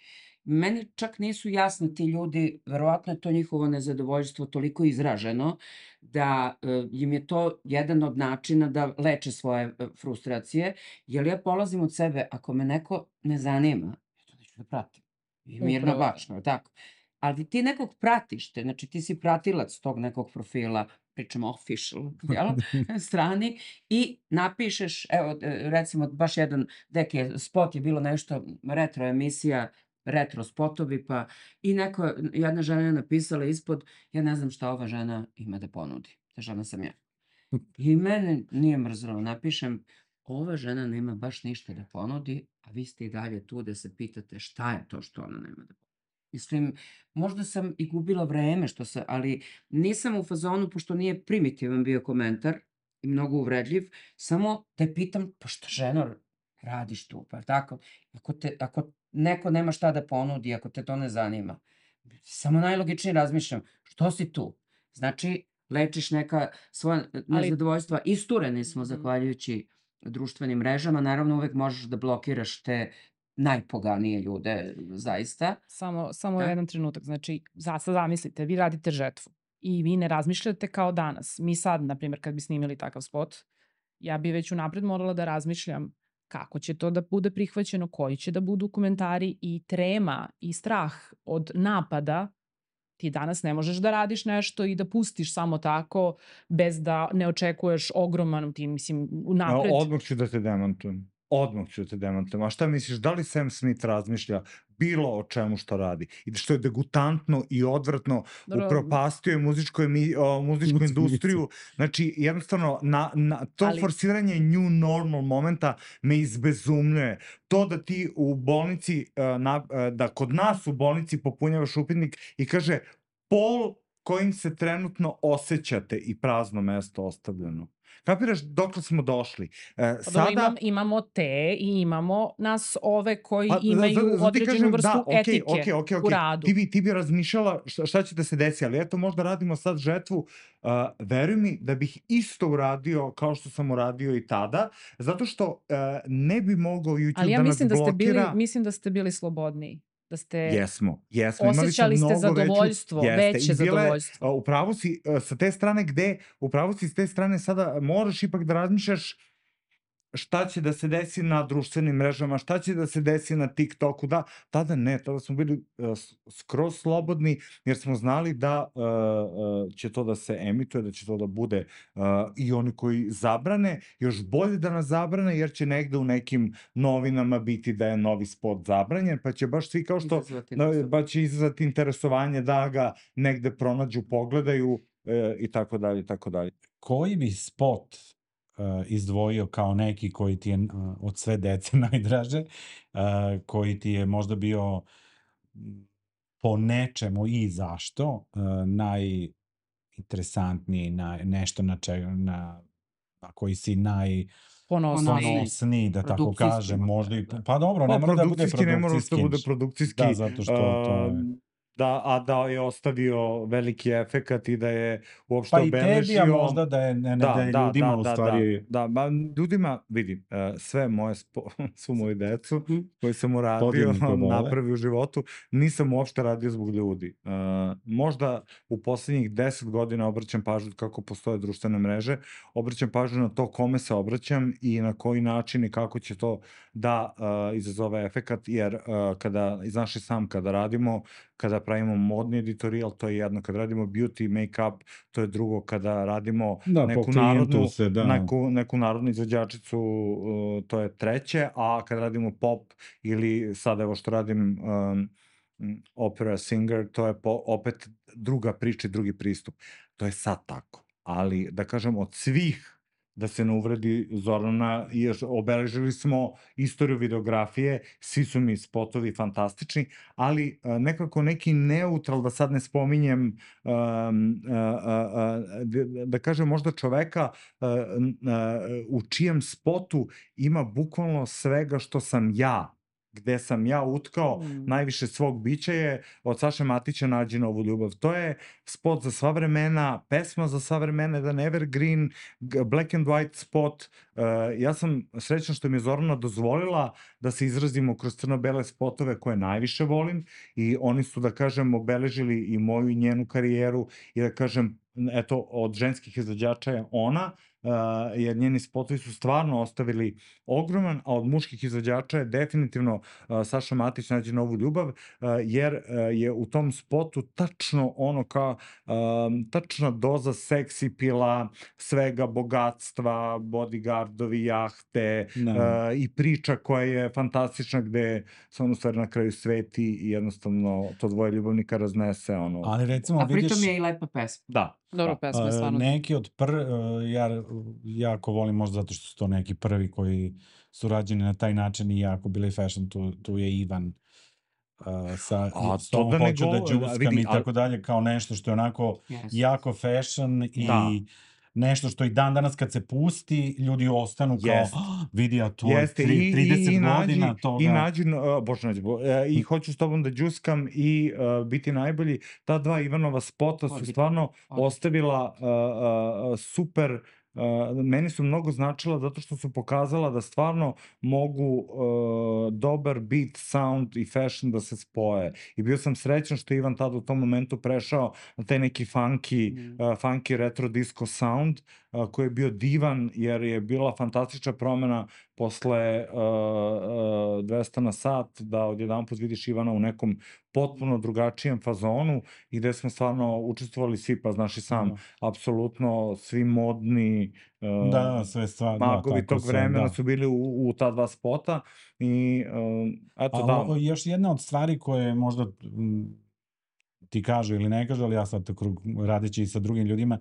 meni čak nisu jasni ti ljudi, verovatno je to njihovo nezadovoljstvo toliko izraženo da e, im je to jedan od načina da leče svoje e, frustracije, jer ja polazim od sebe, ako me neko ne zanima, ja to neću da pratim. I mirno Upravo to. bačno, tako. Ali ti nekog pratiš te, znači ti si pratilac tog nekog profila, pričamo official, jel, strani, i napišeš, evo, e, recimo, baš jedan, deki je, spot je bilo nešto, retro emisija, retro spotovi, pa i neko, jedna žena je napisala ispod, ja ne znam šta ova žena ima da ponudi. Ta žena sam ja. I mene nije mrzelo, napišem, ova žena nema baš ništa da ponudi, a vi ste i dalje tu da se pitate šta je to što ona nema da ponudi. Mislim, možda sam i gubila vreme, što se, ali nisam u fazonu, pošto nije primitivan bio komentar i mnogo uvredljiv, samo te pitam, pa šta ženo radiš tu, pa tako? Ako, te, ako neko nema šta da ponudi, ako te to ne zanima, samo najlogičnije razmišljam, što si tu? Znači, lečiš neka svoja Ali, nezadovoljstva. Istureni smo Mhm. zahvaljujući društvenim mrežama. Naravno, uvek možeš da blokiraš te najpoganije ljude, zaista. samo, samo Da? jedan trenutak, znači, za, sad zamislite, vi radite žetvu i vi ne razmišljate kao danas. Mi sad, na primjer, kad bi snimili takav spot, ja bi već unapred morala da razmišljam kako će to da bude prihvaćeno, koji će da budu komentari i trema i strah od napada. Ti danas ne možeš da radiš nešto i da pustiš samo tako bez da ne očekuješ ogroman, ti mislim, A, unapred. Odmah ću da te demantujem. Odmah ću da te demantujem. A šta misliš, da li Sam Smith razmišlja bilo o čemu što radi? I što je degutantno i odvratno, Dobro, upropastio je muzičku, emi, o, muzičku Muzičku industriju. Znači, jednostavno, na, na, to Ali- forsiranje new normal momenta me izbezumljuje. To da ti u bolnici, uh, na, uh, da kod nas u bolnici popunjavaš upitnik i kaže pol kojim se trenutno osjećate i prazno mesto ostavljeno. Kapiraš dokle smo došli? E, Pa dobro, sada... imam, imamo te i imamo nas ove koji Pa, imaju za- za- zato ti određenu kažem, vrstu da, okej, etike okej, okej, u okej. radu. Ti bi, ti bi razmišljala šta, šta će da se desi, ali eto možda radimo sad žetvu. Uh, veruj mi da bih isto uradio kao što sam uradio i tada, zato što uh, ne bi mogao YouTube Ali ja da nas mislim da ste bili, blokira. mislim da ste bili slobodniji. Da ste Jesmo, jesmo. Imali smo osjećali ste mnogo zadovoljstvo, veću, jeste, veće i bile, zadovoljstvo. uh, upravo si uh, sa te strane gde, upravo si s te strane sada moraš ipak da razmišljaš šta će da se desi na društvenim mrežama, šta će da se desi na TikToku, da, tada ne, tada smo bili uh, s- skroz slobodni, jer smo znali da uh, uh, će to da se emituje, da će to da bude uh, i oni koji zabrane, još bolje da nas zabrane, jer će negde u nekim novinama biti da je novi spot zabranjen, pa će baš svi kao što, Izazvati da, nešto. pa će izazvati interesovanje da ga negde pronađu, pogledaju uh, i tako dalje, i tako dalje. Koji bi spot uh, izdvojio kao neki koji ti je uh, od sve dece najdraže, uh, koji ti je možda bio m, po nečemu i zašto uh, najinteresantniji, naj, nešto na, čega, na, na koji si naj Ponosni. Ponosni. ponosniji, da tako Produkcijski kažem, možda, možda i, da. pa dobro, ne Pa mora da bude produkcijski ne mora da produkcijski. bude produkcijski, Da, zato što to je... a, da, a da je ostavio veliki efekat i da je uopšte Pa i tebi, a obeležio... možda da je, ne, ne, da, je ljudima u stvari... Da, da, ba, ljudima, vidi, e, sve moje, spo, svu moju decu Mhm. koju sam uradio, Podigni to dole. napravio u životu, nisam uopšte radio zbog ljudi. E, možda u poslednjih deset godina obraćam pažnju kako postoje društvene mreže, obraćam pažnju na to kome se obraćam i na koji način i kako će to da e, izazove efekat, jer e, kada, znaš i sam, kada radimo, kada pravimo modni editorijal, to je jedno, kada radimo beauty, make-up, to je drugo, kada radimo Da, po neku klijentu narodnu, se, da. neku, neku narodnu izvođačicu, uh, to je treće, a kada radimo pop ili sad evo što radim um, mm, opera singer, to je po, opet druga priča i drugi pristup. To je sad tako. Ali, da kažem, od svih, da se ne uvredi Zorana, jer obeležili smo istoriju videografije, svi su mi spotovi fantastični, ali a, nekako neki neutral, da sad ne spominjem, um, a, a, a, da, da kažem možda čoveka a, a, u čijem spotu ima bukvalno svega što sam ja, gde sam ja utkao Mm. najviše svog bića je od Saše Matića Nađi novu ljubav. To je spot za sva vremena, pesma za sva vremena, jedan evergreen, g- black and white spot. Uh, ja sam srećan što mi je Zorana dozvolila da se izrazimo kroz crno-bele spotove koje najviše volim i oni su, da kažem, obeležili i moju i njenu karijeru i da kažem, eto, od ženskih izvođača je ona, uh, jer njeni spotovi su stvarno ostavili ogroman, a od muških izvođača je definitivno uh, Saša Matić Nađi novu ljubav, uh, jer uh, je u tom spotu tačno ono kao um, tačna doza seksi pila, svega bogatstva, bodyguardovi, jahte Da. uh, i priča koja je fantastična gde se ono stvari na kraju sveti i jednostavno to dvoje ljubavnika raznese ono. Ali recimo A vidiš... pritom je i lepa pesma. Da. Dobro, da. pesma je A, stvarno. neki od pr... a, ja jako volim možda zato što su to neki prvi koji su rađeni na taj način i jako bili fashion, tu, tu je Ivan a, sa A s to tom da ne hoću da go- džuskam vidi, i ali- tako dalje, kao nešto što je onako Yes. jako fashion i Da. nešto što i dan danas kad se pusti, ljudi ostanu kao, Jest. "Ah, vidi, a to je Jeste, tri- i, trideset i, i nađi, godina toga." i nađi, uh, bože nađi, bo, uh, i hoću s tobom da džuskam i uh, biti najbolji. Ta dva Ivanova spota su Odlično, stvarno odlično. ostavila uh, uh, super, uh, meni su mnogo značila zato što su pokazala da stvarno mogu uh, dobar beat, sound i fashion da se spoje. I bio sam srećan što je Ivan tada u tom momentu prešao na taj neki funky, Mm. uh, funky retro disco sound, uh, koji je bio divan jer je bila fantastična promena posle uh, uh, dvesta na sat, da odjedanput vidiš Ivana u nekom potpuno drugačijem fazonu i gde smo stvarno učestvovali svi, pa znaš i sam, Da. apsolutno svi modni uh, Da, da, sve stvar, da, magovi tako tog sve, vremena da. su bili u, u ta dva spota i uh, eto Ali da, o- još jedna od stvari koje možda mm, ti kažu ili ne kažu, ali ja sad tako radeći i sa drugim ljudima,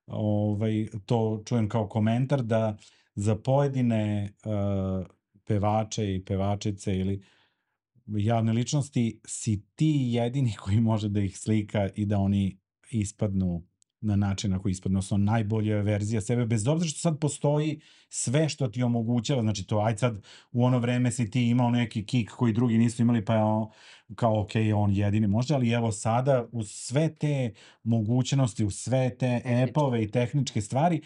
ovaj, to čujem kao komentar da za pojedine uh, pevače i pevačice ili javne ličnosti si ti jedini koji može da ih slika i da oni ispadnu na način na koji ispadnu, odnosno najbolja verzija sebe, bez obzira što sad postoji sve što ti omogućava, znači to, aj sad u ono vreme si ti imao neki kik koji drugi nisu imali, pa je on, kao ok, on jedini može, ali evo sada uz sve te mogućnosti, uz sve te Tehničke. epove i tehničke stvari,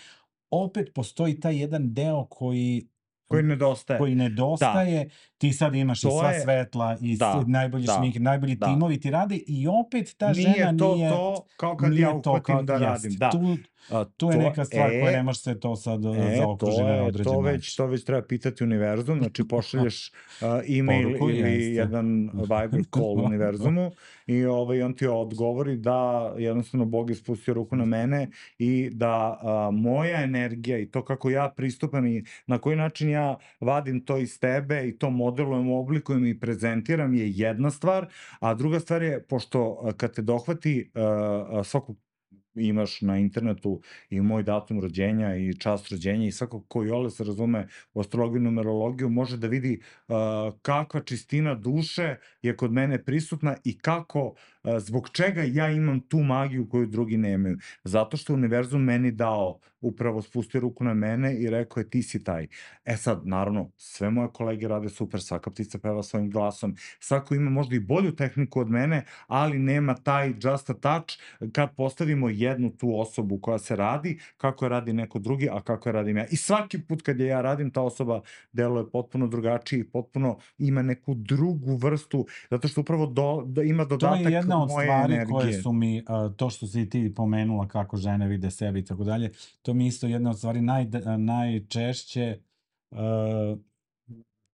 opet postoji taj jedan deo koji koji nedostaje. koji nedostaje, ti sad imaš i To sva je- svetla i da, s- najbolji da, šmink, najbolji da. timovi ti rade i opet ta žena Nije to nije... to kao kad nije ja to uhvatim kao- da jeste. radim. Da. Tu, A, tu je to- neka stvar koja e, ne može se to sad E, zaokruži to na je, određen to već, način. to već treba pitati univerzum, znači pošalješ uh, e-mail Poruku, ili jeste. jedan Viber call univerzumu i ovaj, on ti odgovori da jednostavno Bog je spustio ruku na mene i da a, moja energija i to kako ja pristupam i na koji način ja vadim to iz tebe i to modelujem, oblikujem i prezentiram je jedna stvar, a druga stvar je, pošto a, kad te dohvati a, a, svakog imaš na internetu i moj datum rođenja i čast rođenja i svako ko iole se razume u astrologiju i numerologiju može da vidi uh, kakva čistina duše je kod mene prisutna i kako, uh, zbog čega ja imam tu magiju koju drugi nemaju. Zato što univerzum meni dao, upravo spustio ruku na mene i rekao je ti si taj. E sad, naravno, sve moje kolege rade super, svaka ptica peva svojim glasom, svako ima možda i bolju tehniku od mene, ali nema taj just a touch kad postavimo jednu tu osobu koja se radi, kako je radi neko drugi, a kako je radim ja. I svaki put kad je ja radim, ta osoba deluje potpuno drugačije i potpuno ima neku drugu vrstu, zato što upravo do, da ima To dodatak je jedna od moje stvari energije. koje su mi, uh, to što si ti pomenula kako žene vide sebe i tako dalje, to mi isto jedna od stvari naj, najčešće uh,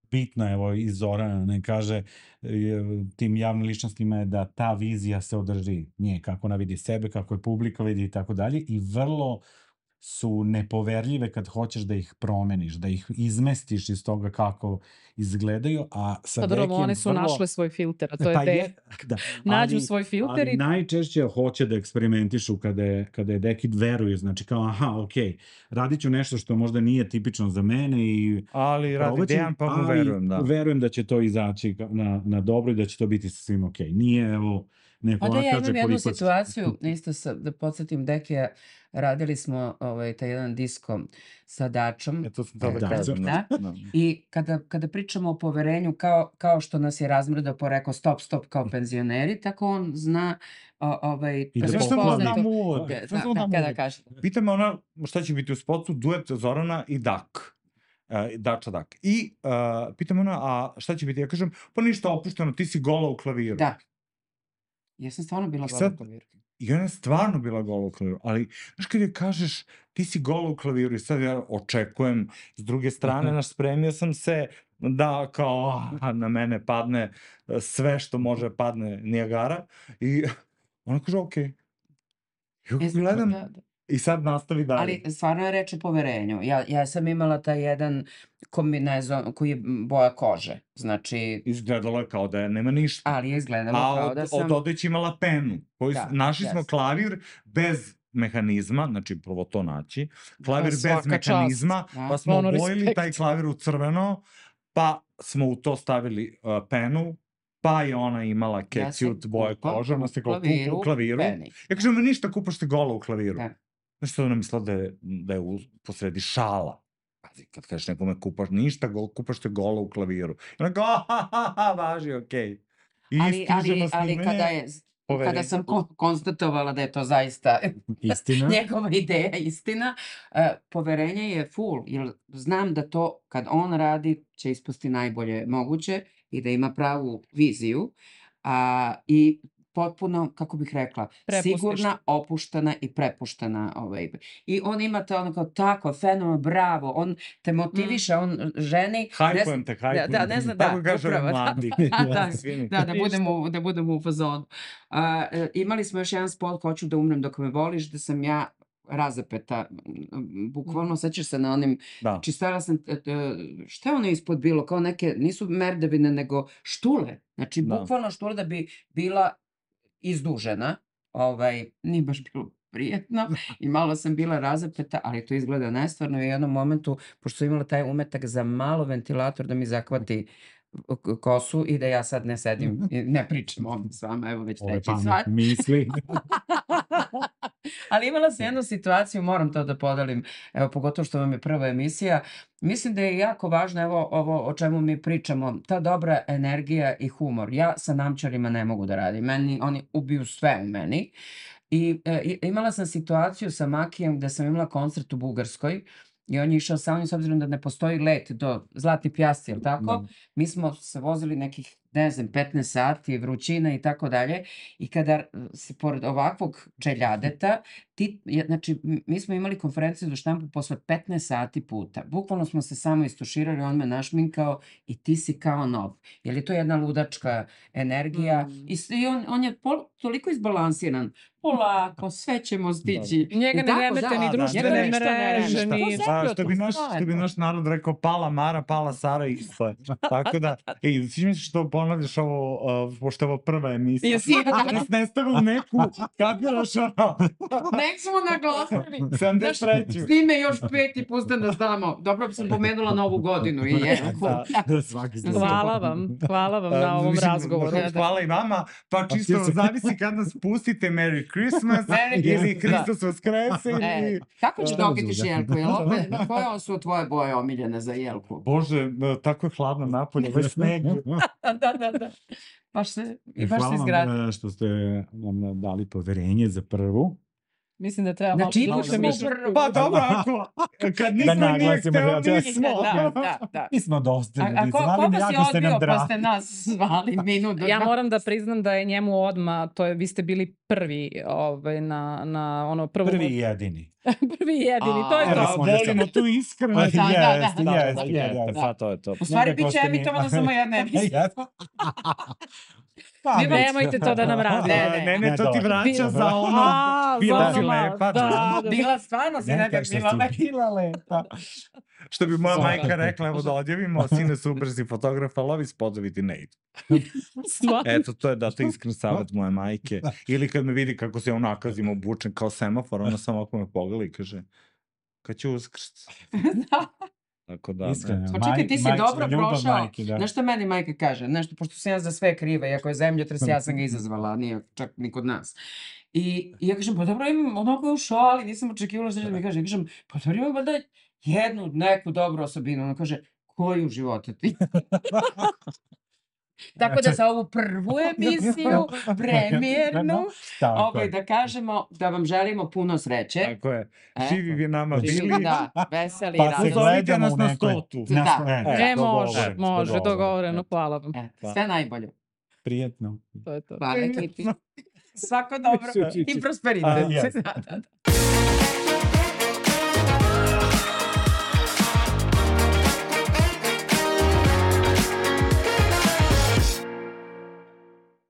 bitna, evo i Zorana ne kaže, je, tim javnim ličnostima je da ta vizija se održi nje, kako ona vidi sebe, kako je publika vidi i tako dalje i vrlo su nepoverljive kad hoćeš da ih promeniš, da ih izmestiš iz toga kako izgledaju, a sa Pa dobro, Dekijem one su vrlo... našle svoj filter, a to je Pa de... je, da, Nađu ali, svoj filter ali i... najčešće hoće da eksperimentišu kada je, kada je Deki veruju, znači kao aha, okej, radit ću nešto što možda nije tipično za mene i Ali radi probat ću, Dejan, pa mu ali verujem, da. verujem da će to izaći ka- na, na dobro i da će to biti sa svim okej. Nije, evo, neko Pa da, ja kaže imam jednu koliko... situaciju, isto sa, da podsjetim Dekija, radili smo ovaj, taj jedan disko sa Dačom. E, to sam to da Da, kažem. Da. Da. I kada, kada pričamo o poverenju, kao, kao što nas je razmrdao po rekao stop, stop kao penzioneri, tako on zna o, ovaj, I da Sve što pokloni. da prepoznati- uvod. Da, Sve što da, da kada uvod. kaže. Pita me ona šta će biti u spotu, duet Zorana i Dak. Uh, Dača Dak. I uh, pita me ona, a šta će biti? Ja kažem, pa ništa opušteno, ti si gola u klaviru. Da. Ja sam stvarno bila I gola sad- u klaviru. I ona je stvarno bila gola u klaviru, ali znaš kad joj kažeš ti si gola u klaviru i sad ja očekujem s druge strane, naš spremio sam se da kao ah, na mene padne eh, sve što može padne Nijagara i ona kaže okej. Ja E, gledam da, da. i sad nastavi dalje. Ali stvarno je reč o poverenju. Ja, ja sam imala taj jedan kombinezon koji je boja kože. Znači, Izgledalo je kao da je nema ništa. ali je izgledalo A kao od, da sam... od odeći imala penu. Koju, Da, našli smo jeste. klavir bez mehanizma, znači prvo to naći, klavir bez svaka čast. mehanizma, Da. pa smo Ono, obojili respekt. taj klavir u crveno, pa smo u to stavili uh, penu, pa je ona imala Ja sam catsuit boje kupa kože, ona se u kao kupa u klaviru. peni. Ja kažem, ništa, kupaš te gola u klaviru. Da. Znaš što ona mislila da je, da je u, posredi šala. Pazi, kad kažeš nekome kupaš ništa, go, kupaš te gola u klaviru. I ona kao, ha, ha, ha, važi, okej. I Ali, ali, stižemo ali snimanje. kada je... poverenja. Kada sam ko- konstatovala da je to zaista Istina. njegova ideja, istina, e, poverenje je full, jer znam da to kad on radi će ispasti najbolje moguće i da ima pravu viziju a, i potpuno, kako bih rekla, Prepustiš. sigurna, opuštena i prepuštena. Ovaj. I on ima to ono kao tako, fenomen, bravo, on te motiviše, on ženi... ne Hajpujem zna- te, hajpujem Da, te. da, ne znam, da, Tako kažu ovi upravo, da. mladi. Da, Svi mi. Da, da budemo, da budemo u fazonu. A, e, imali smo još jedan spot, hoću da umrem dok me voliš, da sam ja razapeta, m, bukvalno sećaš se na onim, Da. čistala sam, e, e, šta je ono ispod bilo, kao neke, nisu merdevine, nego štule, znači Da. bukvalno štule da bi bila izdužena, ovaj, nije baš bilo prijetno i malo sam bila razapeta, ali to izgleda nestvarno i u jednom momentu, pošto sam imala taj umetak za malo ventilator da mi zahvati k- kosu i da ja sad ne sedim i ne pričam ovdje s vama, evo već Ove treći pametne sat. misli. Ali imala sam jednu situaciju, moram to da podelim, evo pogotovo što vam je prva emisija. Mislim da je jako važno, evo ovo o čemu mi pričamo, ta dobra energija i humor. Ja sa namčarima ne mogu da radim, meni, oni ubiju sve u meni. I e, i- imala sam situaciju sa Makijem gde sam imala koncert u Bugarskoj i on je išao sa mnom s obzirom da ne postoji let do Zlatni Pjasti, jel tako? Da. Mi smo se vozili nekih, ne znam, petnaest sati, vrućina i tako dalje. I kada e, se pored ovakvog čeljadeta, ti, je- znači, m- mi smo imali konferenciju za štampu posle petnaest sati puta. Bukvalno smo se samo istuširali, on me našminkao i ti si kao nov. Je li to jedna ludačka energija? Mm. I, s- i on, on je pol, toliko izbalansiran. Polako, sve ćemo stići. Njega Jel ne tako? remete Da, ni da, društvene njega ništa ne remete. mreže, To ni... sve- A, što bi naš, što bi naš narod rekao, pala Mara, pala Sara, isto je. Tako da, ej, sviđa mi se što ponavljaš ovo, uh, pošto je ovo prva emisija. Jesi, Da nas ne stave u neku, kapiraš ono, Nek smo naglasili. sedamdeset treću. Snime još peti put da nas damo. Dobro sam pomenula novu godinu i jelku. Da. Svaki Hvala vam, hvala vam na Um, ovom mislim, razgovoru. hvala- Hvala i vama, pa čisto ti se- zavisi kad nas pustite Merry Christmas Merry ili Christmas, Hristos Vaskrese E, ili... kako će Šta da me okitiš zuga? jelku? Jel opet, koje su tvoje boje omiljene za jelku? Bože, e, tako je hladno napolje, već sneg. Da, da, da. Baš se, i baš se Hvala izgradi. vam e, što ste nam dali poverenje za prvu. Mislim da treba malo Znači, duše smo mišlju. prvo. Pa dobro, ako, kad niko nije naglasimo, hteo, ja- mi smo. Da, da, da. Mi smo dosta A, a ljudi, ko, zvali koga mi si jako ste nam odbio pa dragi. ste nas zvali minut do Ja dva? moram da priznam da je njemu odma, to je, vi ste bili prvi ovaj, na, na ono prvo... Prvi i jedini. Prvi i jedini, to je Evo to. smo A, da volimo sam- tu iskrenost. Da, da, da. Jeste, Da, da, jeste, jeste, jeste. pa to je to. U stvari, Nekako bit će ste mi- emitovano samo jedna emisija. Jeste. Pa, Mi bit će. Nemojte to da nam radi. Ne, A, ne. ne, ne, Ne, to ti dobro. vraća za ono, A, bila za si ono malo, lepa. da, da. Bila, stvarno si Ne, nekak kažeš bila si lepa. bila lepa. Što bi moja Svaka. majka rekla, evo da odjavimo, sine super si fotograf, ali ovi spotovi ti ne idu. Stvarno. Eto, to je da to iskren savjet moje majke. Ili kad me vidi kako se onakazim obučen kao semafor, ona samo ako me pogleda i kaže, kad će uskrst? Da. Tako da, Iskreno. eto. Pa čekaj, ti si Maj- dobro ljubav prošao. majke, da. Znaš šta meni majka kaže? Nešto, pošto sam ja za sve kriva, iako je zemljotres, ja sam ga izazvala, nije čak ni kod nas. I, i ja kažem, pa dobro imam, onako je u šali, nisam očekivala što će da mi kaže. Ja kažem, pa dobro imam valjda jednu, neku dobru osobinu. Ona kaže, koju u životu ti? Tako da za ovu prvu emisiju, premijernu, Tako ovaj, je. da kažemo da vam želimo puno sreće. Tako je. E. Živi vi nama Živi, bili. Da, veseli Pa i se radosni. Pozovite gledamo nas u na nekoj... stotu. Na Da. sto- E, E, može, dogovoreno, može, dogovoreno. dogovoreno, hvala vam. E, Pa. sve najbolje. Prijetno. To je to. Hvala ekipi. Svako dobro i prosperitet. A, jest. Da, da, da.